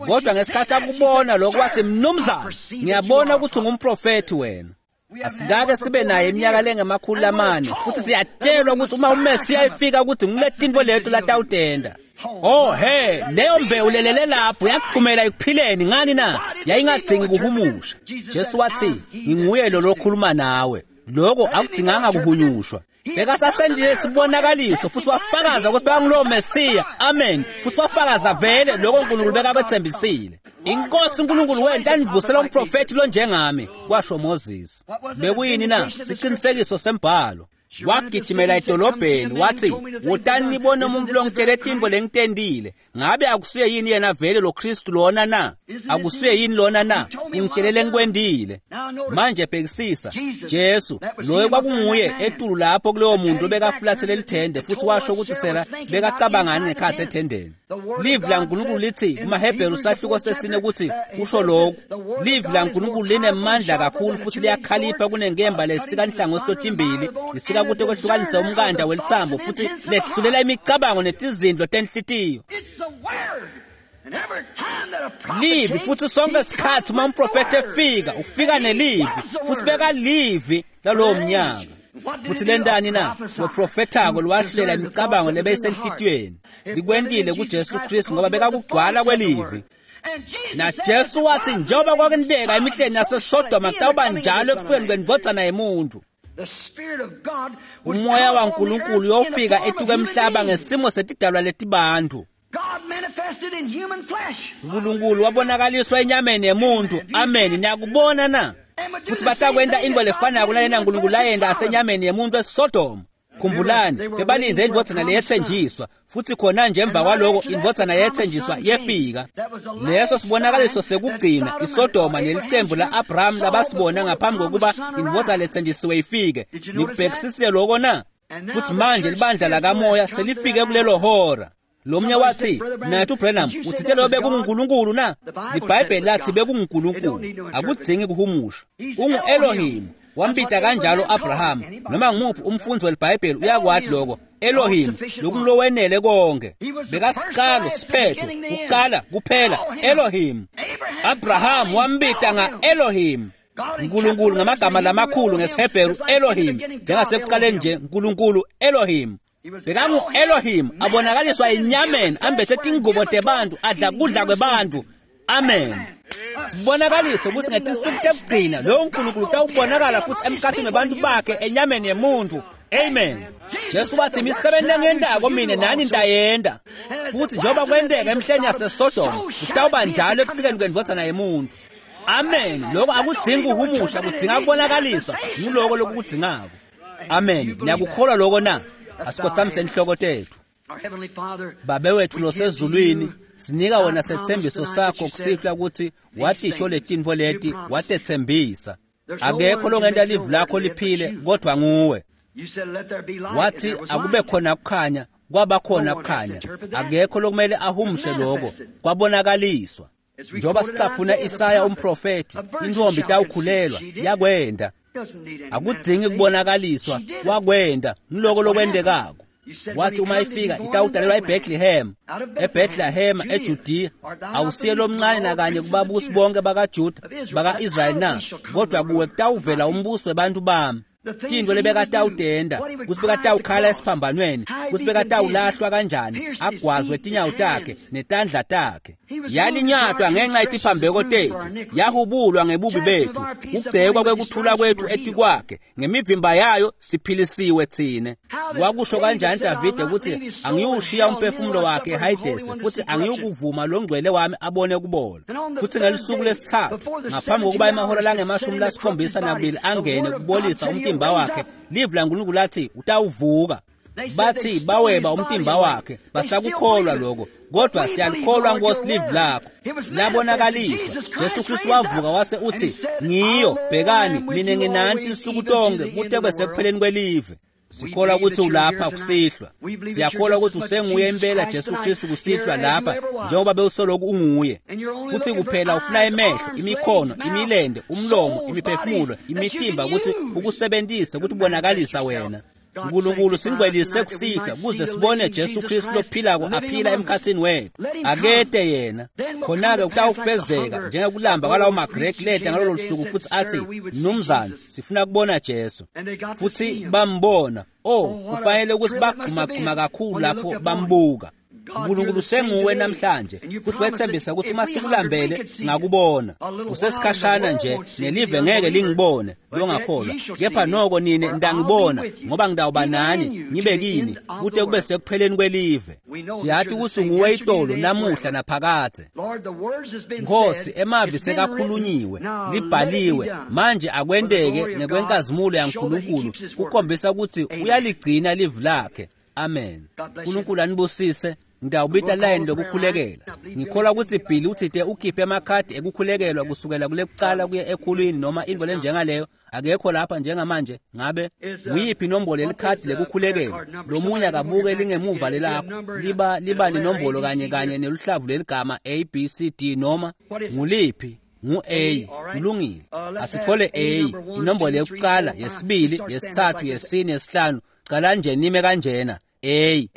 Kodwa ngesikhathi akubona lokho wathi mnumzane, ngiyabona ukuthi ungumprofethi wena. Asikake sibe naye iminyaka lengemakhulu amane, futhi siyatshelwa ukuthi uma uMesiya efika ukuthi ngiletintfo leto latawutenda. Oh he, leyo mbewu lelele lapho yakuchumela ekuphileni. Ngani na? Yayingadzingi kuhumusha. Jesu wathi nginguye lo lokhuluma nawe. Lokho akudzinganga kuhunyushwa. Bekasasendile sibonakaliso futhi wafakaza ukuthi bekangulowo Mesiya. Amen. Futhi wafakaza vele lokho uNkulunkulu bekabethembisile. Inkosi uNkulunkulu wena anivusela umprofethi lo njengami, kwasho Moses. Bekuyini na? Siqinisekiso sembhalo. Wagijimela edolobheni wathi wotani nibone umuntu longitshele tintfo lengitendile, ngabe akusiye yini yena vele lo Kristu lona na? Akusuye yini lona na? Ungitshelele ngikwendile. Manje bhekisisa, Jesu loyo kwakunguye etulu lapho kulowo muntu obekafulathele lithende futhi washo ukuthi Sara bekacabangani ngekhathi ethendeni. Livi laNkulunkulu lithi kumaHebheru sahluko sesine ukuthi kusho lokhu. Livi laNkulunkulu linemandla kakhulu futhi liyakhalipha kunenkemba lesika inhlangothi totimbili, lisika kude kwehlukanisa umkanda welitsambo futhi lehlulela imicabango netizindlo tenhlitiyo. Livi futhi sonke isikhathi uma umprofethi efika ufika nelivi futhi beka livi lalowo mnyaka. Futhi lentani na? Loprofethako lwahlulela imicabango lebeyisenhlitiyweni. Likwentile kuJesu Kristu ngoba bekakugcwala kwelivi. Na Jesu wathi njengoba kwakwenteka emihleni yaseSodoma kutawuba njalo ekufikeni kwendvodzana yemuntu. Umoya waNkulunkulu uyofika etuka emhlaba ngesimo setidalwa letibantu. Nkulunkulu wabonakaliswa enyameni yemuntu. Amen. Niyakubona na? Futhi batakwenta into lefanako nalena Nkulunkulu layenta asenyameni yemuntu eSodoma. Khumbulani, bebalindze indvodzana leyetsenjiswa futhi khona nje emva kwaloko indvodzana yetsenjiswa yefika. Leso sibonakaliso sekugcina iSodoma nelicembu la-Abraham labasibona ngaphambi kokuba indvodzana letsenjisiwe ifike. Nikubhekisisile loko na? Futhi manje libandla lakamoya selifike kulelo hora. Lomnye wathi, "Nathi uBranham uthithe lo bekunguNkulunkulu na?" IBhayibheli lathi bekunguNkulunkulu. Akudzingi kuhumusha. Ungu-Elohim. Wambita kanjalo Abraham. Noma ngumuphi umfundzi weliBhayibheli uyakwati lokho. Elohim, lokungulowenele konke. Bekasiqalo siphetho, kuqala kuphela. Elohim. Abraham wambita nga-Elohim. Nkulunkulu ngamagama lamakhulu ngesiHebheru Elohim, njengasekuqaleni nje Nkulunkulu Elohim. Bekangu-Elohim abonakaliswa enyameni, ambethe tingubo tebantu, adla kudla kwebantu. Amen. Sibonakaliso ukuthi ngetinsuku tekugcina lowo Nkulunkulu utawubonakala futhi emkhathini webantu bakhe enyameni yemuntu. Amen. Jesu wathi imisebenzi lengiyentako mina nani nitayenta. Futhi njengoba kwenteka emhleni yaseSodoma kutawuba njalo ekufikeni kwendvodzana yemuntu. Amen. Lokho akudzingi kuhumusha, kudzinga kubonakaliswa. Nguloko lokukudzingako. Amen. Niyakukholwa lokho na? Asikhosamise inhloko tethu. Babe wethu losezulwini, sinika wena setsembiso sakho kusihlwa ukuthi watisho letintfo leti watetsembisa. Akekho longenta livi lakho liphile kodwa nguwe. Wathi akube khona kukhanya, kwaba khona kukhanya. Akekho lokumele ahumushe lokho, kwabonakaliswa. Njengoba sicaphuna Isaya umprofethi, intombi itawukhulelwa, yakwenda. Akudzingi kubonakaliswa, wakwenda, ngiloko lokwendekako. Wathi uma ifika itawudalelwa eBethlehem, eBethlehem eJudiya. Awusiye lomncane nakanye kubabusi bonke bakaJuda baka-Israyeli na? Kodwa kuwe kutawuvela umbuso webantu bami. Tintfo lebekatawutenta, kutsi bekatawukhala esiphambanweni, kutsi bekatawulahlwa kanjani, agwazwe tinyawo takhe netandla takhe. Yalinyatwa ngenxa yetiphambeko tethu, yahubulwa ngebubi bethu, kugcekwa kwekuthula kwethu etikwakhe, ngemivimba yayo siphilisiwe tsine. Wakusho kanjani Davide ukuthi angiyushiya umphefumulo wakhe eHayidesi futhi angiyukuvuma longcwele wami abone kubola. Futhi ngelisuku lesithathu, ngaphambi kokuba emahora langemashumi lasikhombisa nakubili angene kubolisa umtimba wakhe, livi laNkulunkulu lathi utawuvuka. Bathi baweba umtimba wakhe, basakukholwa lokho, kodwa siyalikholwa Nkosi livi lakho. Labonakaliswa, Jesu Kristu wavuka wase uthi, "Ngiyo, bhekani, mina nginani tinsuku tonke kute kube sekupheleni kwelive." Sikholwa ukuthi ulapha kusihlwa. Siyakholwa ukuthi usenguye impela Jesu Kristu kusihlwa lapha njengoba bewusoloku unguye. Futhi kuphela ufuna emehlo, imikhono, imilende, umlomo, imiphefumulo, imitimba ukuthi ukusebenzise ukuthi ubonakalisa wena. Nkulunkulu singcwelise kusihlwa kuze sibone Jesu Kristu lophilako aphila emkhathini wethu. Akete yena. Khona-ke kutawufezeka njengekulamba kwalawo maGreki leta ngalolo lusuku futhi athi, "Mnumzane, sifuna kubona Jesu." Futhi bambona. Oh, kufanele ukuthi bagxumagxuma kakhulu lapho bambuka. Nkulunkulu senguwe namhlanje futhi wethembisa ukuthi uma sikulambele singakubona. Usesikhashana nje nelive ngeke lingibone longakholwa, kepha noko nine nitangibona ngoba ngitawuba nani ngibe kini kute kube sekupheleni kwelive. Siyati ukuthi nguwe itolo namuhla naphakadze. Nkosi, emavi sekakhulunyiwe, libhaliwe, manje akwenteke ngekwenkazimulo yaNkulunkulu kukhombisa ukuthi uyaligcina livi lakhe. Amen. Nkulunkulu anibusise. Ngitawubita line lokukhulekela. Ngikholwa ukuthi Billy uthite ukhiphe emakhadi ekukhulekelwa kusukela kulekuqala kuye ekhulwini noma intfo lenjengaleyo. Akekho lapha njengamanje. Ngabe nguyiphi inombolo yelikhadi lekukhulekelwa? Lomunye akabuke lingemuva lelakho. Liba liba nenombolo kanye kanye neluhlavu leligama A B C D noma nguliphi? Ngu-A. Kulungile. Asitfole A, inombolo yokuqala, yesibili, yesithathu, yesine, yesihlanu. Cala nje nime kanjena. A,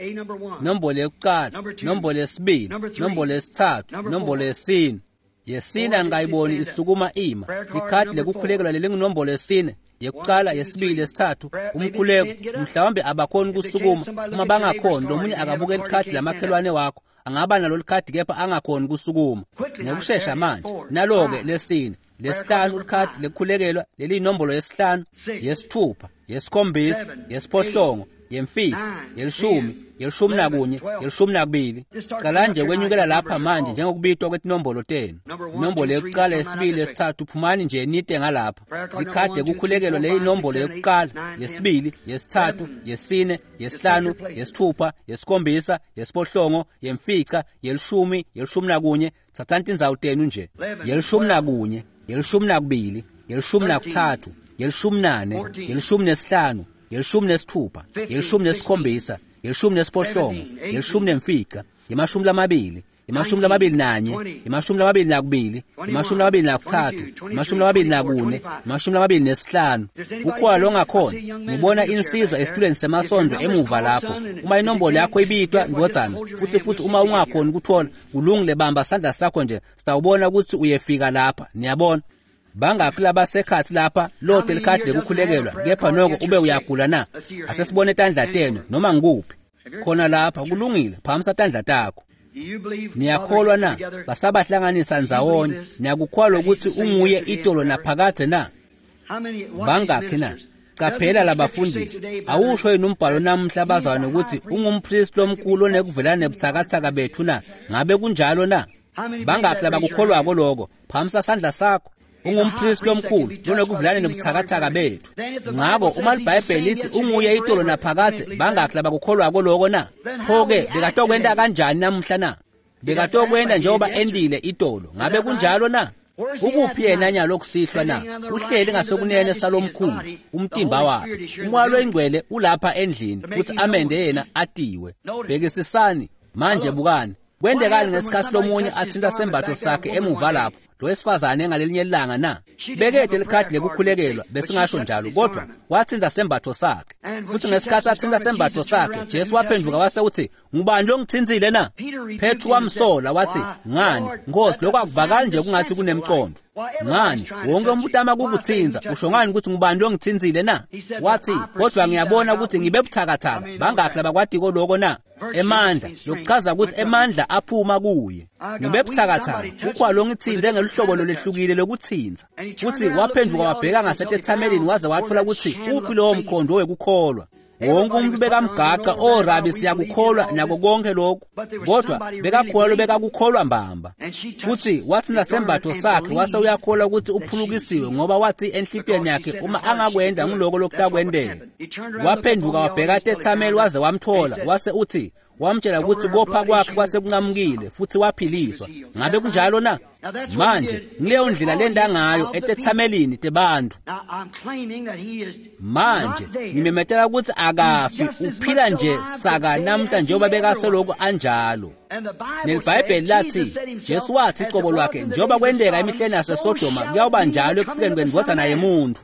nombolo yokuqala, nombolo yesibili, nombolo yesithathu, nombolo yesine. Yesine angayiboni isukuma ima. Ikhadi lekukhulekelwa lelingunombolo yesine, yekuqala, yesibili, yesithathu, umkhuleko. Mhlawumbe abakhoni kusukuma. Uma bangakhoni, lomunye akabuke likhadi lamakhelwane wakho. Angaba nalo likhadi kepha angakhoni kusukuma. Ngekushesha manje. Nalo-ke lesine, lesihlanu likhadi lekukhulekelwa leliyinombolo yesihlanu, yesithupha, yesikhombisa, yesiphohlongo, yemfica, yelishumi, yelishumi nakunye, yelishumi nakubili. Cala nje kwenyukela lapha manje njengokubitwa kwetinombolo tenu. Inombolo yokuqala, yesibili, yesithathu, phumani nje nite ngalapha. Likhadi lekukhulekelwa leyinombolo yokuqala, yesibili, yesithathu, yesine, yesihlanu, yesithupha, yesikhombisa, yesiphohlongo, yemfica, yelishumi, yelishumi nakunye. Thathani tindzawo tenu nje. Yelishumi nakunye, yelishumi nakubili, yelishumi nakuthathu, yelishumi nane, yelishumi nesihlanu, yelishumi nesithupha, yelishumi nesikhombisa, yelishumi nesiphohlongo, yelishumi nemfica, yemashumi lamabili, yemashumi lamabili nanye, yemashumi lamabili nakubili, yemashumi lamabili nakuthathu, yemashumi lamabili nakune, yemashumi lamabili nesihlanu. Kukhona longakhona. Ngibona insizwa esitulweni semasondo emuva lapho. Uma inombolo yakho ibitwa, ndvodzana, futhi futhi uma ungakhoni kuthola, kulungile, bamba sandla sakho nje, sitawubona ukuthi uyefika lapha. Niyabona? Bangakhi labasekhathi lapha lote likhadi lekukhulekelwa kepha noko ube uyagula na? Asesibone tandla tenu noma ngikuphi. Khona lapha kulungile, phakamisa tandla takho. Niyakholwa na? Basabahlanganisa ndzawonye. Niyakukholwa ukuthi unguye itolo naphakadze na? Bangakhi na? Qaphela labafundisi. Awusho yini umbhalo namuhla bazalwane ukuthi ungumpristi lomkhulu onekuvelana nebuthakathaka bethu na? Ngabe kunjalo na? Bangakhi labakukholwako lokho? Phakamisa sandla sakho. Ungumpristi lomkhulu lonekuvelana nebuthakathaka bethu. Ngako uma iBhayibheli lithi unguye itolo naphakadze, bangakhi labakukholwako lokho na? Pho-ke bekatokwenta kanjani namuhla na? Bekatokwenta njengoba endile itolo. Ngabe kunjalo na? Ukuphi yena nyalo kusihlwa na? Uhleli ngasokunene salomkhulu, umtimba wakhe. Umoya loyingcwele ulapha endlini kuthi amende yena atiwe. Bhekisisani manje, bukani. Kwendekani ngesikhathi lomunye athinta sembatho sakhe emuva lapho, lo wesifazane ngalelinye ilanga na? Bekede likhadi lekukhulekelwa, besingasho njalo, kodwa wathinta sembatho sakhe. Futhi ngesikhathi athinta sembatho sakhe, Jesu waphenduka wase uthi, "Ngubani lo ngithintsile na?" Petru wamsola wathi, "Ngani, Nkosi, lokho akuvakali nje kungathi kunemqondo. Ngani, wonke umuntu ama kukuthinza, usho ngani ukuthi ngubani lo ngithintsile na?" Wathi, "Kodwa ngiyabona ukuthi ngibe buthakathaka. Bangakhi labakwadiko lokho na?" Emandla, lokuchaza ukuthi emandla aphuma kuye. Ngibe buthakathaka, ukhwalo ngithinze ngeluhlobo lolehlukile lokuthinza. Futhi waphenduka wabheka ngasetethamelini waze wathola ukuthi uphi lowo mkhondo wekukholwa. Wonke umuntu bekamgaca, "Oh Rabi, siyakukholwa nako konke lokhu." Kodwa bekakholwa bekakukholwa mbamba. Futhi wathinta sembatho sakhe wase uyakholwa ukuthi uphulukisiwe, ngoba wathi enhlipiyeni yakhe uma angakwenda ngiloko lokutakwendeka. Waphenduka wabheka tethameli waze wamthola, wase uthi wamtshela ukuthi kopha kwakhe kwasekunqamukile futhi waphiliswa. Ngabe kunjalo na? Manje ngileyo ndlela lenda ngayo etethamelini tebantu. Manje ngimemetela ukuthi akafi, uphila nje saka namhla njengoba bekaselokhu anjalo. NeliBhayibheli lathi, Jesu wathi iqobo lwakhe, njengoba kwenteka emihleni yaseSodoma, kuyawuba njalo ekufikeni kwendvodzana yemuntu.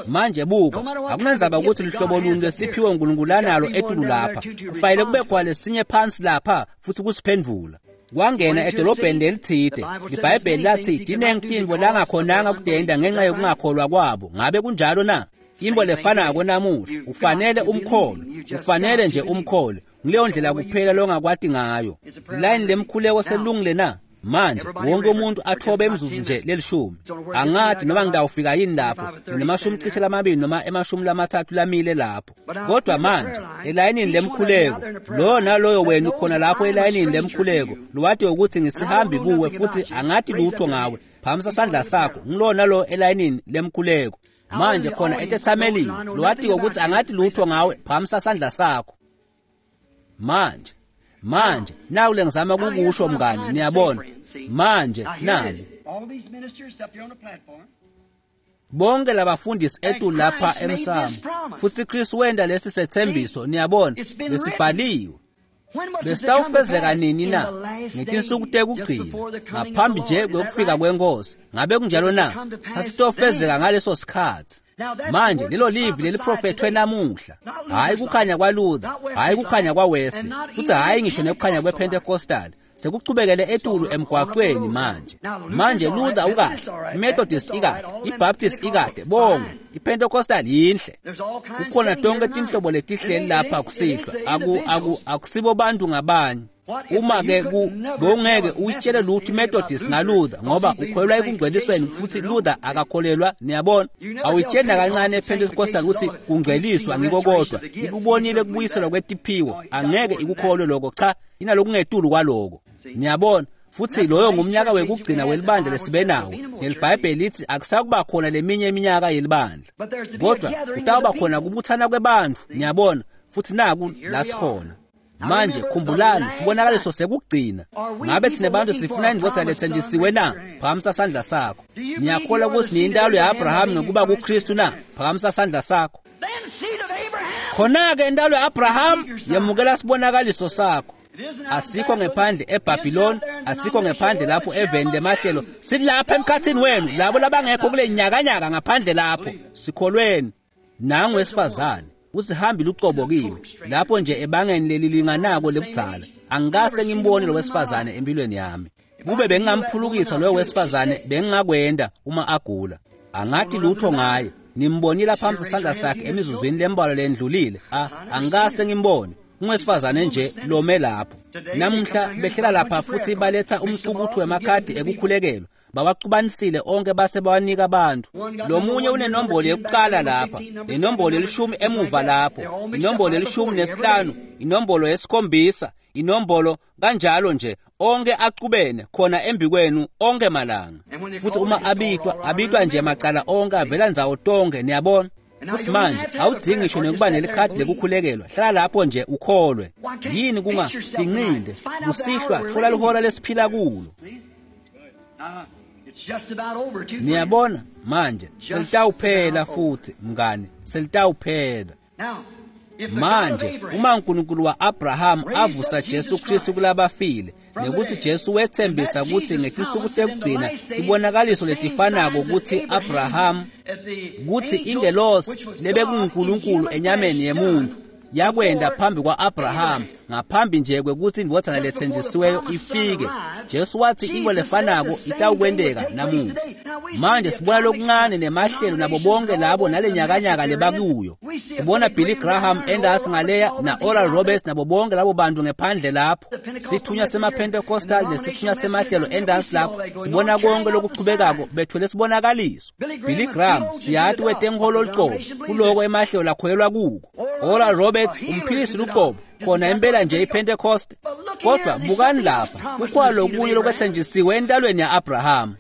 Manje buka, akunandzaba ukuthi luhlobo luni lesiphiwe uNkulunkulu analo etulu lapha, kufanele kube khona lesinye phansi lapha futhi kusiphendvula. Wangena edolobheni lelithide. IBhayibheli lathi tinengi tintfo langakhonanga kudenda ngenxa yokungakholwa kwabo. Ngabe kunjalo na? Into lefanako namuhla, ufanele umkholwe, ufanele nje umkholwe. Ngileyo ndlela kuphela longakwati ngayo. Line lemkhuleko selungile na? Manje wonke umuntu athobe emzuzu nje lelishumi. Angathi noma ngidawufika yini lapho, nginemashumi cishe lamabili noma emashumi lamathathu lamile lapho. Kodwa manje elayinini lemkhuleko, lo naloyo wena ukhona lapho elayinini lemkhuleko, lwati ukuthi ngisihambi kuwe futhi angathi lutho ngawe. Phamisa sandla sakho, ngilo nalo elayinini lemkhuleko. Manje khona etethamelini, lwati ukuthi angathi lutho ngawe, phamisa sandla sakho. Manje Manje naku lengizama kukusho mngani, niyabona. Manje naku bonke labafundisi etu lapha emsamo, futsi Kristu wenta lesi sethembiso, niyabona, lesibhaliwe. Besitawufezeka nini na? Ngetinsuku tekugcina, ngaphambi nje kwekufika kwenkosi. Ngabe kunjalo na? Sasitofezeka ngaleso sikhatsi. Manje lelo livi leliprofethwe namuhla, hhayi kukhanya kwaLuther, hhayi kukhanya kwaWesley, futsi hhayi ngisho nekukhanya kwePentecostal. Sekuchubekele etulu emgwaqweni manje. Manje Luther ukahle, iMethodist ikahle, iBaptist ikahle, bonke, iPentecostal yinhle. Kukhona tonke tinhlobo letihleli lapha kusihlwa. Aku aku akusibo bantu ngabanye. Uma ke ku bongeke uyitshele lutho iMethodist ngaLuther ngoba ukholelwa ekungcwelisweni futsi Luther akakholelwa, niyabona. Awuyitsheli nakancane ePentecostal ukuthi kungcweliswa ngiko kodwa. Ikubonile kubuyiselwa kwetiphiwo, angeke ikukholwe lokho, cha, inalokungetulu kwaloko. Niyabona, futsi loyo ngumnyaka wekugcina welibandla lesibe nawo. NeliBhayibheli lithi akusakuba khona leminye iminyaka yelibandla, kodwa kutawuba khona kubuthana kwebantfu, niyabona, futsi naku la sikhona. Manje khumbulani, sibonakaliso sekugcina. Ngabe sine bantu sifuna indvodza lethenjisiwe na? Phakamisa sandla sakho. Niyakholwa ukuthi niyintalo ya-Abraham ngekuba kuKristu na? Phakamisa sandla sakho. Khona-ke intalo ya-Abraham yemukela sibonakaliso sakho. Asikho ngephandle eBhabhiloni, asikho ngephandle lapho eveni lemahlelo, silapha emkhathini wenu, labo labangekho kule nyakanyaka ngaphandle lapho. Sikholweni. Nangu wesifazane usihambile ucobo kimi lapho nje ebangeni lelilinganako lekudzala. Angikase ngimbone lo wesifazane empilweni yami. Kube bengingamphulukisa loyo wesifazane, bengingakwenda uma agula. Angathi lutho ngaye. Nimbonile phambi sandla sakhe emizuzwini lembalwa lendlulile. A angikase ngimbone. Ungwesifazane nje lome lapho. Namuhla behlela lapha futhi baletha umcukuthu wemakhadi ekukhulekelwa. Bawacubanisile onke base bawanika abantu. Lomunye unenombolo yokuqala lapha, nenombolo elishumi emuva lapho, inombolo elishumi nesihlanu, inombolo yesikhombisa, inombolo kanjalo nje, onke acubene khona embikwenu onke malanga. Futhi uma abitwa, abitwa nje macala onke avela ndzawo tonke, niyabona. Futhi manje awudzingi ngisho nekuba nelikhadi lekukhulekelwa, hlala lapho nje ukholwe. Yini kunga tincinde kusihlwa, tfola lihora lesiphila kulo. Niyabona manje selitawuphela futhi mngani, selitawuphela. Manje uma uNkulunkulu wa-Abraham avusa Jesu Kristu kulabafile, nekuthi Jesu wethembisa ukuthi ngetinsuku tekugcina tibonakaliso letifanako ukuthi Abraham, kuthi ingelosi lebekunguNkulunkulu enyameni yemuntu yakwenda phambi kwa-Abraham ngaphambi nje kwekuthi indvodzana lethenjisiweyo ifike. Jesu wathi into lefanako itawukwenteka namuhla. Manje sibona lokuncane nemahlelo nabo bonke labo nale nyakanyaka lebakuyo. Sibona Billy Graham endasi ngaleya na Oral Roberts nabo bonke labo bantu ngephandle lapho. Sithunywa semaPentecostal nesithunywa semahlelo endasi lapho. Sibona konke lokuchubekako bethwele sibonakaliso. Billy Graham siyati wetenkholo lucobo kuloko emahlelo lakholelwa kuko. Oral Roberts umphilisi lucobo khona impela nje iPentecost. Kodwa bukani lapha, kukhona lokunye lokwethenjisiwe entalweni ya-Abraham.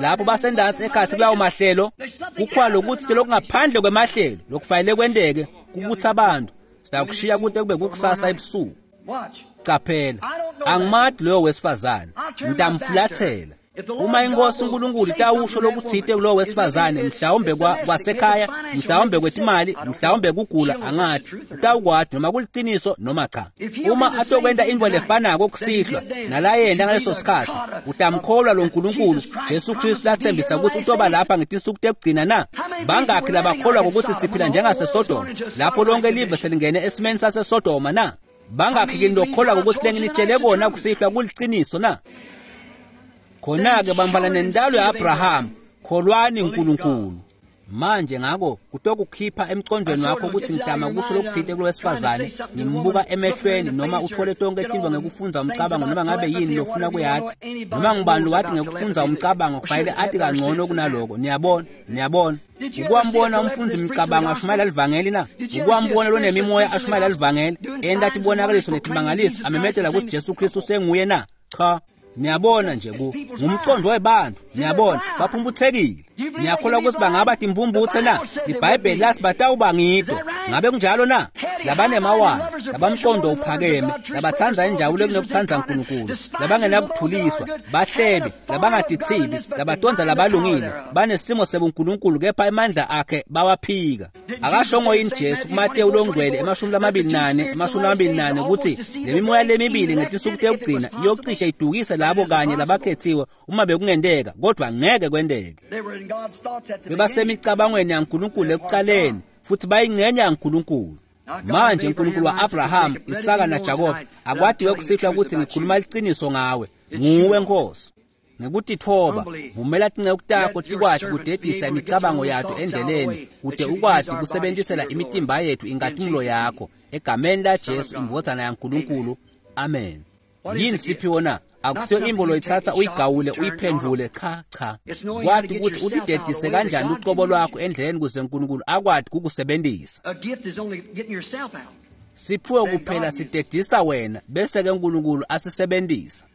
Lapho basendansi ekhathi kulawo mahlelo, kukhona lokuthi lokungaphandle kwemahlelo lokufanele kwenteke kubutha abantu. Sitakushiya kude kube kukusasa ebusuku. Qaphela, angimati loyo wesifazane, ngitamfulathela. Uma inkosi uNkulunkulu itawusho lokuthite kulowo wesifazane, mhlawumbe kwasekhaya, mhlawumbe kwetimali, mhlawumbe kugula, angathi utawukwati noma kuliciniso noma cha. Uma atokwenta into lefanako kusihlwa nalayenta ngaleso sikhatsi, utamkholwa lo Nkulunkulu Jesu Kristu lathembisa ukuthi utoba lapha ngetinsuku tekugcina na? Bangakhi labakholwa ukuthi siphila njengaseSodoma, lapho lonke live selingene esimeni saseSodoma na? Bangakhi kini lokholwa ukuthi lenginitshele kona kusihlwa kuliciniso na? Khona-ke bambana nentalo ya-Abraham, kholwani uNkulunkulu. Manje ngako kutokukhipha emcondweni wakho ukuthi ngidama kusho lokuthite kulo wesifazane, ngimbuka emehlweni, noma uthole tonke tintfo ngekufundza umcabango, noma ngabe yini lofuna kuyati, noma ngubani lowati ngekufundza umcabango kufanele ati kangcono kunaloko. Niyabona, niyabona. Ukwambona umfundzi mcabango ashumayela livangeli na? Ukwambona lonemimoya ashumayela livangeli, enta tibonakaliso netimangaliso, amemetela kutsi Jesu Kristu senguye na? Cha. Niyabona nje ku ngumcondo webantu, niyabona baphumputhekile. Niyakholwa ukuthi bangaba timpumputhe na? IBhayibheli lathi batawuba ngito. Ngabe kunjalo na? Labanemawala, labamqondo uphakeme, labatsandza injabulo kunokutsandza uNkulunkulu, labangenakuthuliswa, bahlebi, labangatithibi, labatonza labalungile, banesimo sebuNkulunkulu kepha emandla akhe bawaphika. Akashongo yini Jesu kuMateyu longcwele emashumi lamabili nane emashumi lamabili nane ukuthi le mimoya lemibili ngetinsuku tekugcina iyocishe idukise labo kanye labakhethiwe uma bekungenteka, kodwa ngeke kwenteke. Bebasemicabangweni yaNkulunkulu ekuqaleni futhi bayingxenye yaNkulunkulu. Manje uNkulunkulu wa-Abraham, Isaka naJakobe akwatiwe kusihlwa ukuthi ngikhuluma iqiniso ngawe, nguwe Nkosi. Ngekutithoba vumela tinceku takho tikwati kudedisa imicabango yato endleleni kute ukwati kusebenzisela imitimba yethu inkatimlo yakho, egameni laJesu indvodzana yaNkulunkulu, amen. Yini siphiwo na? Akusiyo imbo loyithatha uyigawule uyiphendvule, cha cha. Kwati ukuthi utidedise kanjani ucobo lwakho endleleni kuze uNkulunkulu akwati kukusebenzisa. Siphiwe kuphela sidedisa wena bese ke uNkulunkulu asisebenzisa.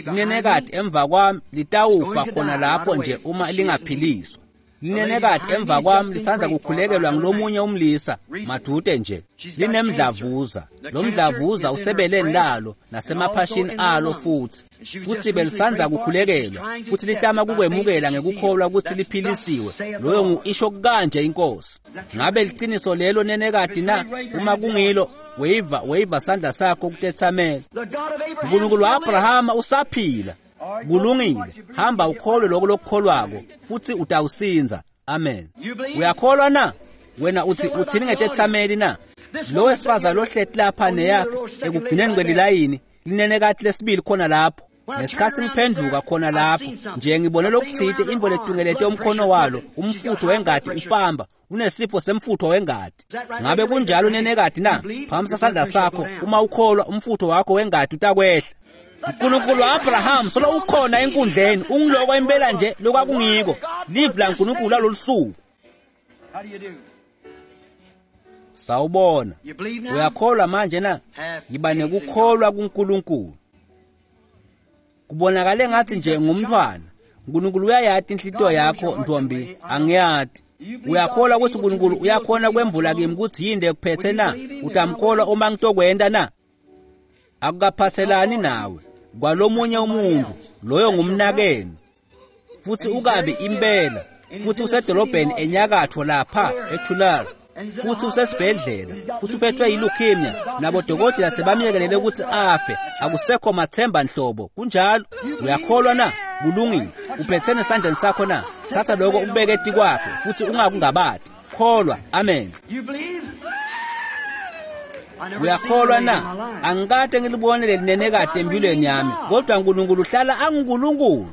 Linenekati emva kwami litawufa khona lapho nje uma lingaphiliswa. Linenekati emva kwami lisandza kukhulekelwa ngulomunye umlisa madude nje. Linemdlavuza, lo mdlavuza usebeleni lalo nasemaphashini alo futhi. Futhi belisandza kukhulekelwa futhi litama kukwemukela ngekukholwa ukuthi liphilisiwe. Loyo ngu-isho kanje inkosi. Ngabe liciniso lelo nenekati na? Uma kungilo, wayiva wayiva sandla sakho kutethamela. uNkulunkulu wa-Abrahama usaphila. Kulungile, hamba ukholwe lokho lokukholwako futhi utawusinza. Amen. Uyakholwa na? Wena uthi uthini ngetethameli na? Lo wesifazane lohleti lapha neyakhe ekugcineni kwelilayini linenekati lesibili khona lapho. Ngesikhathi ngiphenduka khona lapho nje ngibone lokuthite imvo letungelete umkhono walo, umfutho wengati upamba, unesifo semfutho wengati. Ngabe kunjalo nenekati na? Phamisa sandla sakho, uma ukholwa umfutho wakho wengati utakwehla. uNkulunkulu wa-Abraham solo ukhona enkundleni, ungiloko impela nje lokwakungiko. Live laNkulunkulu lalolusuku. Sawubona. Uyakholwa manje na? Yiba nekukholwa kuNkulunkulu. Kubonakale ngathi nje ngumntwana. uNkulunkulu uyayati inhlitiyo yakho ntombi, angiyati. Uyakholwa ukuthi uNkulunkulu uyakhona kwembula kimi ukuthi yini lekuphethe na? Utamkholwa uma ngitokwenta na? Akukaphathelani nawe kwalomunye umuntu, loyo ngumnakenu. Futhi ukabi impela, futhi usedolobheni enyakatho lapha eTulare, futhi usesibhedlela, futhi uphethwe yileukemia, nabodokotela sebamyekelele ukuthi afe, akusekho mathemba nhlobo. Kunjalo? Uyakholwa na? Kulungile. Uphethene esandleni sakho na? Thatha lokho ukubeke etikwakhe futhi ungakungabadi. Kholwa. Amen. Uyakholwa na? Angikade ngilibone lelinenekade empilweni yami, kodwa uNkulunkulu uhlala anguNkulunkulu.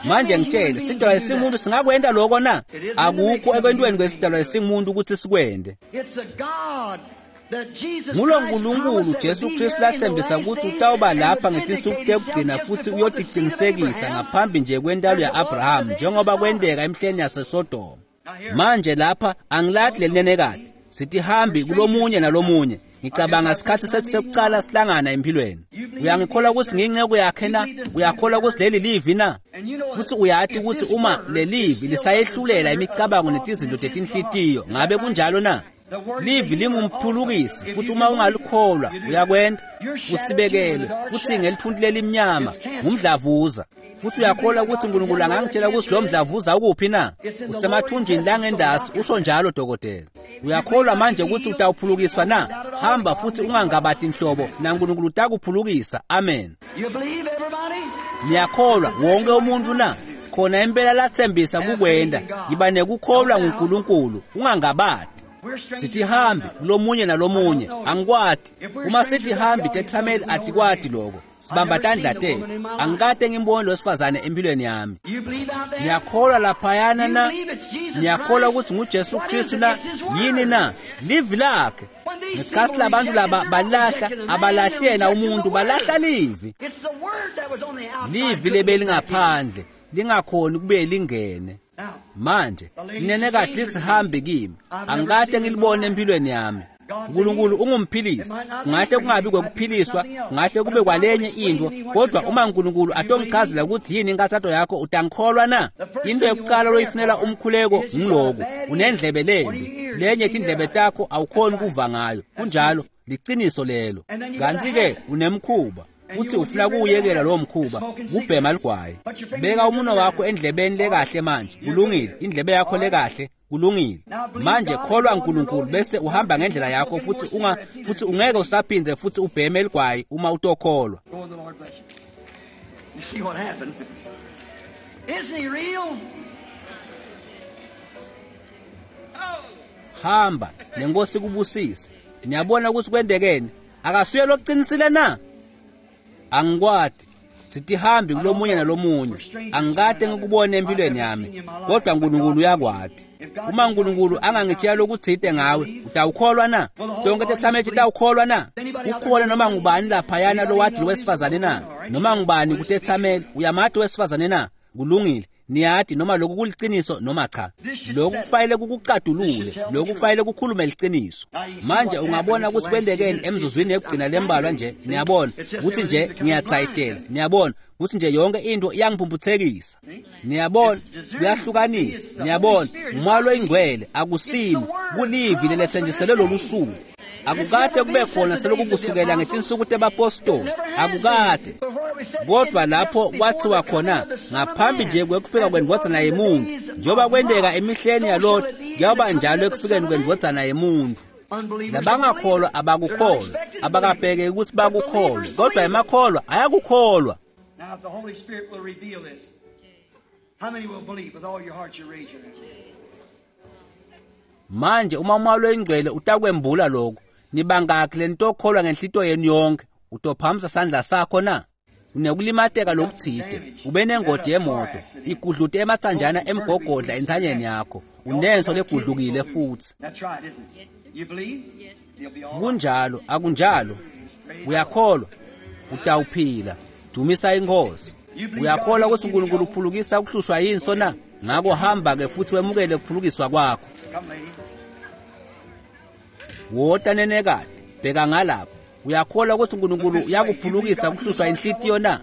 Manje ngitshele, sidalwa esingumuntu singakwenta lokho na? Akukho ekwentweni kwesidalwa esingumuntu ukuthi sikwente. Ngulo nkulunkulu Jesu Kristu lathembisa ukuthi utawuba lapha ngetinsuku tekugcina futhi uyotiqinisekisa ngaphambi nje kwentalo ya-Abraham njengoba kwenteka emihleni yaseSodoma. Manje lapha angilathi lelinenekade, sithi hambi kulomunye nalomunye. Ngicabanga isikhathi sethu sekuqala sihlangana empilweni. Uyangikholwa ukuthi ngiyinceku yakhe na? Uyakholwa ukuthi leli livi na? Futhi uyati ukuthi uma lelivi lisayehlulela imicabango netizinto tetinhlitiyo, ngabe kunjalo na? Livi lingumphulukisi futhi uma ungalikholwa uyakwenda usibekelwe futhi ngelithunti lelimnyama ngumdlavuza. Futhi uyakholwa ukuthi uNkulunkulu angangitshela ukuthi lo mdlavuza ukuphi na? Usemathunjini langendasi, usho njalo dokotela. Uyakholwa manje ukuthi utawuphulukiswa na? Hamba futhi ungangabati nhlobo, naNkulunkulu utakuphulukisa. Amen. Niyakholwa wonke umuntu na? Khona impela lathembisa kukwenda. Yiba nekukholwa nguNkulunkulu, ungangabati. Sithi hambi kulomunye nalomunye, angikwati. Uma sithi hambi tethameli atikwati lokho. Sibamba tandla tethu. Angikade ngimbone lo wesifazane empilweni yami. Niyakholwa laphayana na? Niyakholwa ukuthi nguJesu Kristu na? Yini na? Livi lakhe. Ngesikhathi labantu laba balahla, abalahli yena umuntu, balahla livi. Livi lebelingaphandle lingakhoni kube lingene. Manje linenekade lisihambi kimi, angikade ngilibone empilweni yami. uNkulunkulu ungumphilisi. Kungahle kungabi kwekuphiliswa, kungahle kube kwalenye into, kodwa uma uNkulunkulu atongichazela ukuthi yini inkathato yakho, utangikholwa na? Into yokuqala loyifunela umkhuleko ngiloku, unendlebe lembi, lenye tindlebe takho awukhoni kuva ngayo. Kunjalo, Liciniso lelo. Kanti-ke unemkhuba futhi ufuna kuwuyekela lowo mkhuba, kubhema ligwayi. Beka umuno wakho endlebeni lekahle manje. Kulungile, indlebe yakho lekahle. Kulungile. Manje kholwa uNkulunkulu bese uhamba ngendlela yakho futhi unga futhi ungeke usaphinde futhi ubheme ligwayi uma utokholwa. Go and the Lord bless you. You see what happened? Isn't he real? Hamba nenkosi kubusise. Niyabona ukuthi kwendekeni? Akasuye loqinisile na? Angikwadi. Sitihambi kulomunye nalomunye. Angikade ngikubone empilweni yami, kodwa uNkulunkulu uyakwadi. Uma uNkulunkulu angangitshela lokuthide ngawe, utawukholwa na? Tonke tethameli titawukholwa na? Kukhona noma ngubani laphayana lowadi wesifazane na? Noma ngubani kutethameli, uyamati wesifazane na? Kulungile. Niyati noma lokhu kuliciniso noma cha. Lokhu kufanele kukucadulule, lokhu kufanele kukhulume liciniso. Manje ungabona ukuthi kwendekeni emzuzwini yekugcina lembalwa nje, niyabona ukuthi nje ngiyatsayitela, niyabona ukuthi nje yonke into iyangiphumputhekisa. Niyabona kuyahlukanisa, niyabona umoya loyingcwele akusimi kulivi lelethenjiselwe lolu suku. Akukade kube khona selokhu kusukela ngetinsuku tebapostoli, akukade. Kodwa lapho kwathiwa khona ngaphambi nje kwekufika kwendvodzana yemuntu, njengoba kwenteka emihleni yaLot, kuyakuba njalo ekufikeni kwendvodzana yemuntu. Labangakholwa abakukholwa, abakabheki ukuthi bakukholwe, kodwa emakholwa ayakukholwa. Now, if the Holy Spirit will reveal this, how many will believe with all your heart? You raise your hand. Manje uma umoya loyingcwele utakwembula lokho, nibangakhi lenitokholwa ngenhlito yenu yonke, utophakamisa sandla sakho na? Unekulimateka lokuthide, ube nengodi yemoto, igudlute ematsanjana emgogodla entsanyeni yakho, unenso legudlukile futhi. That's right, isn't it? You believe? You'll be all right. Kunjalo, akunjalo? Uyakholwa? Utawuphila. Dumisa inkosi. Uyakholwa ukuthi uNkulunkulu uphulukisa ukuhlushwa yinso na? Ngakho hamba-ke futhi wemukele ukuphulukiswa kwakho. Come, lady. Wota nenekade, bheka ngalapha. Uyakholwa ukuthi uNkulunkulu uyakuphulukisa ukuhlushwa inhlitiyo na?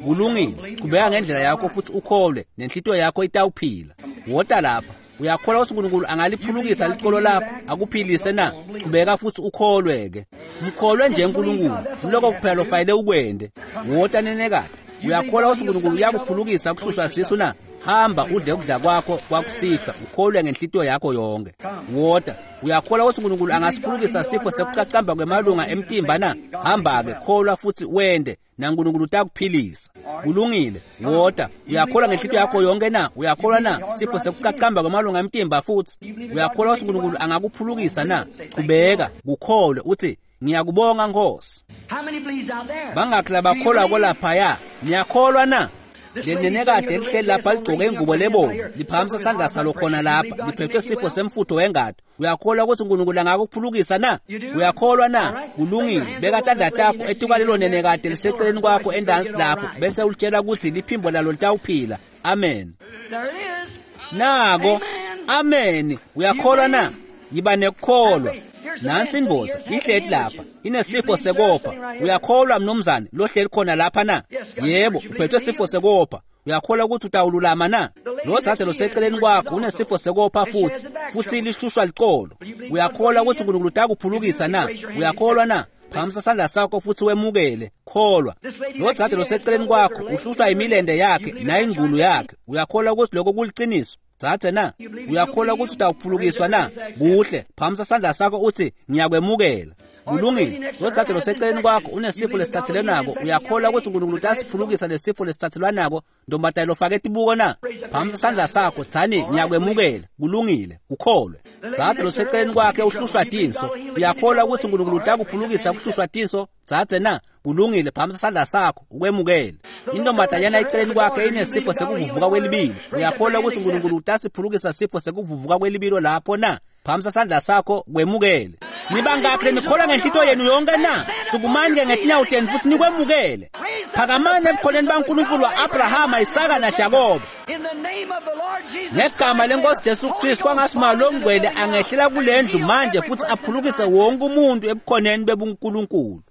Kulungile, qhubeka ngendlela yakho futhi ukholwe, nenhlitiyo yakho itawuphila. Wota lapha. Uyakholwa ukuthi uNkulunkulu angaliphulukisa licolo lakho akuphilise na? Qhubeka futhi ukholwe-ke. Mkholwe nje uNkulunkulu, kuloko kuphela lofanele ukwente. Wota nenekade. Uyakholwa ukuthi uNkulunkulu uyakuphulukisa ukuhlushwa sisu na? Hamba udle ukudla kwakho kwakusihlwa, ukholwe ngenhlitiyo yakho yonke. Wota. Uyakholwa ukuthi uNkulunkulu angasiphulukisa sifo sekucacamba kwemalunga emtimba na? Hamba-ke, kholwa futhi wende, naNkulunkulu utakuphilisa. Kulungile. Wota. Uyakholwa ngenhlitiyo yakho yonke na? Uyakholwa na? Sifo sekucacamba kwemalunga emtimba futhi. Uyakholwa ukuthi uNkulunkulu angakuphulukisa na? Qhubeka, kukholwe uthi ngiyakubonga Nkosi. How many believes out there? Bangakhi labakholwa kolaphaya? Niyakholwa na? Lenenekade elihleli lapha ligqoke ingubo lebomvu, liphakamisa isandla salo khona lapha, liphethwe sifo semfutho wengati. Uyakholwa ukuthi uNkulunkulu angakuphulukisa na? Uyakholwa na? Kulungile. Beka tandla takho etuka lelo nenekade liseceleni kwakho endansi lapho, bese ulitshela ukuthi liphimbo lalo litawuphila. Amen. There it is. Nako. Amen. Uyakholwa na? Yiba nekukholwa. Nansi indvodza ihleli lapha, inesifo sekopha. Uyakholwa mnumzane lohleli khona lapha na? Yebo, uphethwe sifo sekopha. Uyakholwa ukuthi utawululama na? Lo dzadze loseceleni kwakho unesifo sekopha futhi, futhi lihlushwa licolo. Uyakholwa ukuthi uNkulunkulu utakuphulukisa na? Uyakholwa na? Phakamisa isandla sakho futhi wemukele. Kholwa. Lo dzadze loseceleni kwakho uhlushwa imilende yakhe nayingqulu yakhe. Uyakholwa ukuthi lokho kuliciniso? Dzadze na? Uyakholwa ukuthi utawuphulukiswa na? Kuhle, phakamisa isandla sakho uthi ngiyakwemukela. Kulungile. Lo dzadze loseceleni kwakho unesifo lesithathelwanako. Uyakholwa ukuthi uNkulunkulu utasiphulukisa lesifo lesithathelwanako? Ntombatana lofake tibuko na? Phakamisa isandla sakho, tsani ngiyakwemukela. Kulungile, ukholwe. Dzadze loseceleni kwakhe uhlushwa tinso. Uyakholwa ukuthi uNkulunkulu utakuphulukisa kuhlushwa tinso? Dzadze na? Kulungile, phakamisa isandla sakho ukwemukele. Intombatanyana eceleni kwakhe inesifo sekuvuvuka kwelibilo. Uyakholwa ukuthi uNkulunkulu utasiphulukisa sifo sekuvuvuka kwelibilo lapho na? Phakamisa isandla sakho kwemukele. Nibangakhi lenikholwa ngenhlitiyo yenu yonke na? Sukumani-ke ngetinyawo tenu futhi nikwemukele. Phakamani ebukhoneni baNkulunkulu wa-Abrahama, Isaka naJakobe. In the name of the Lord Jesus Ngegama lenkosi Jesu Kristu, kwangathi longcwele angehlela kule ndlu manje futhi aphulukise wonke umuntu ebukhoneni bebuNkulunkulu.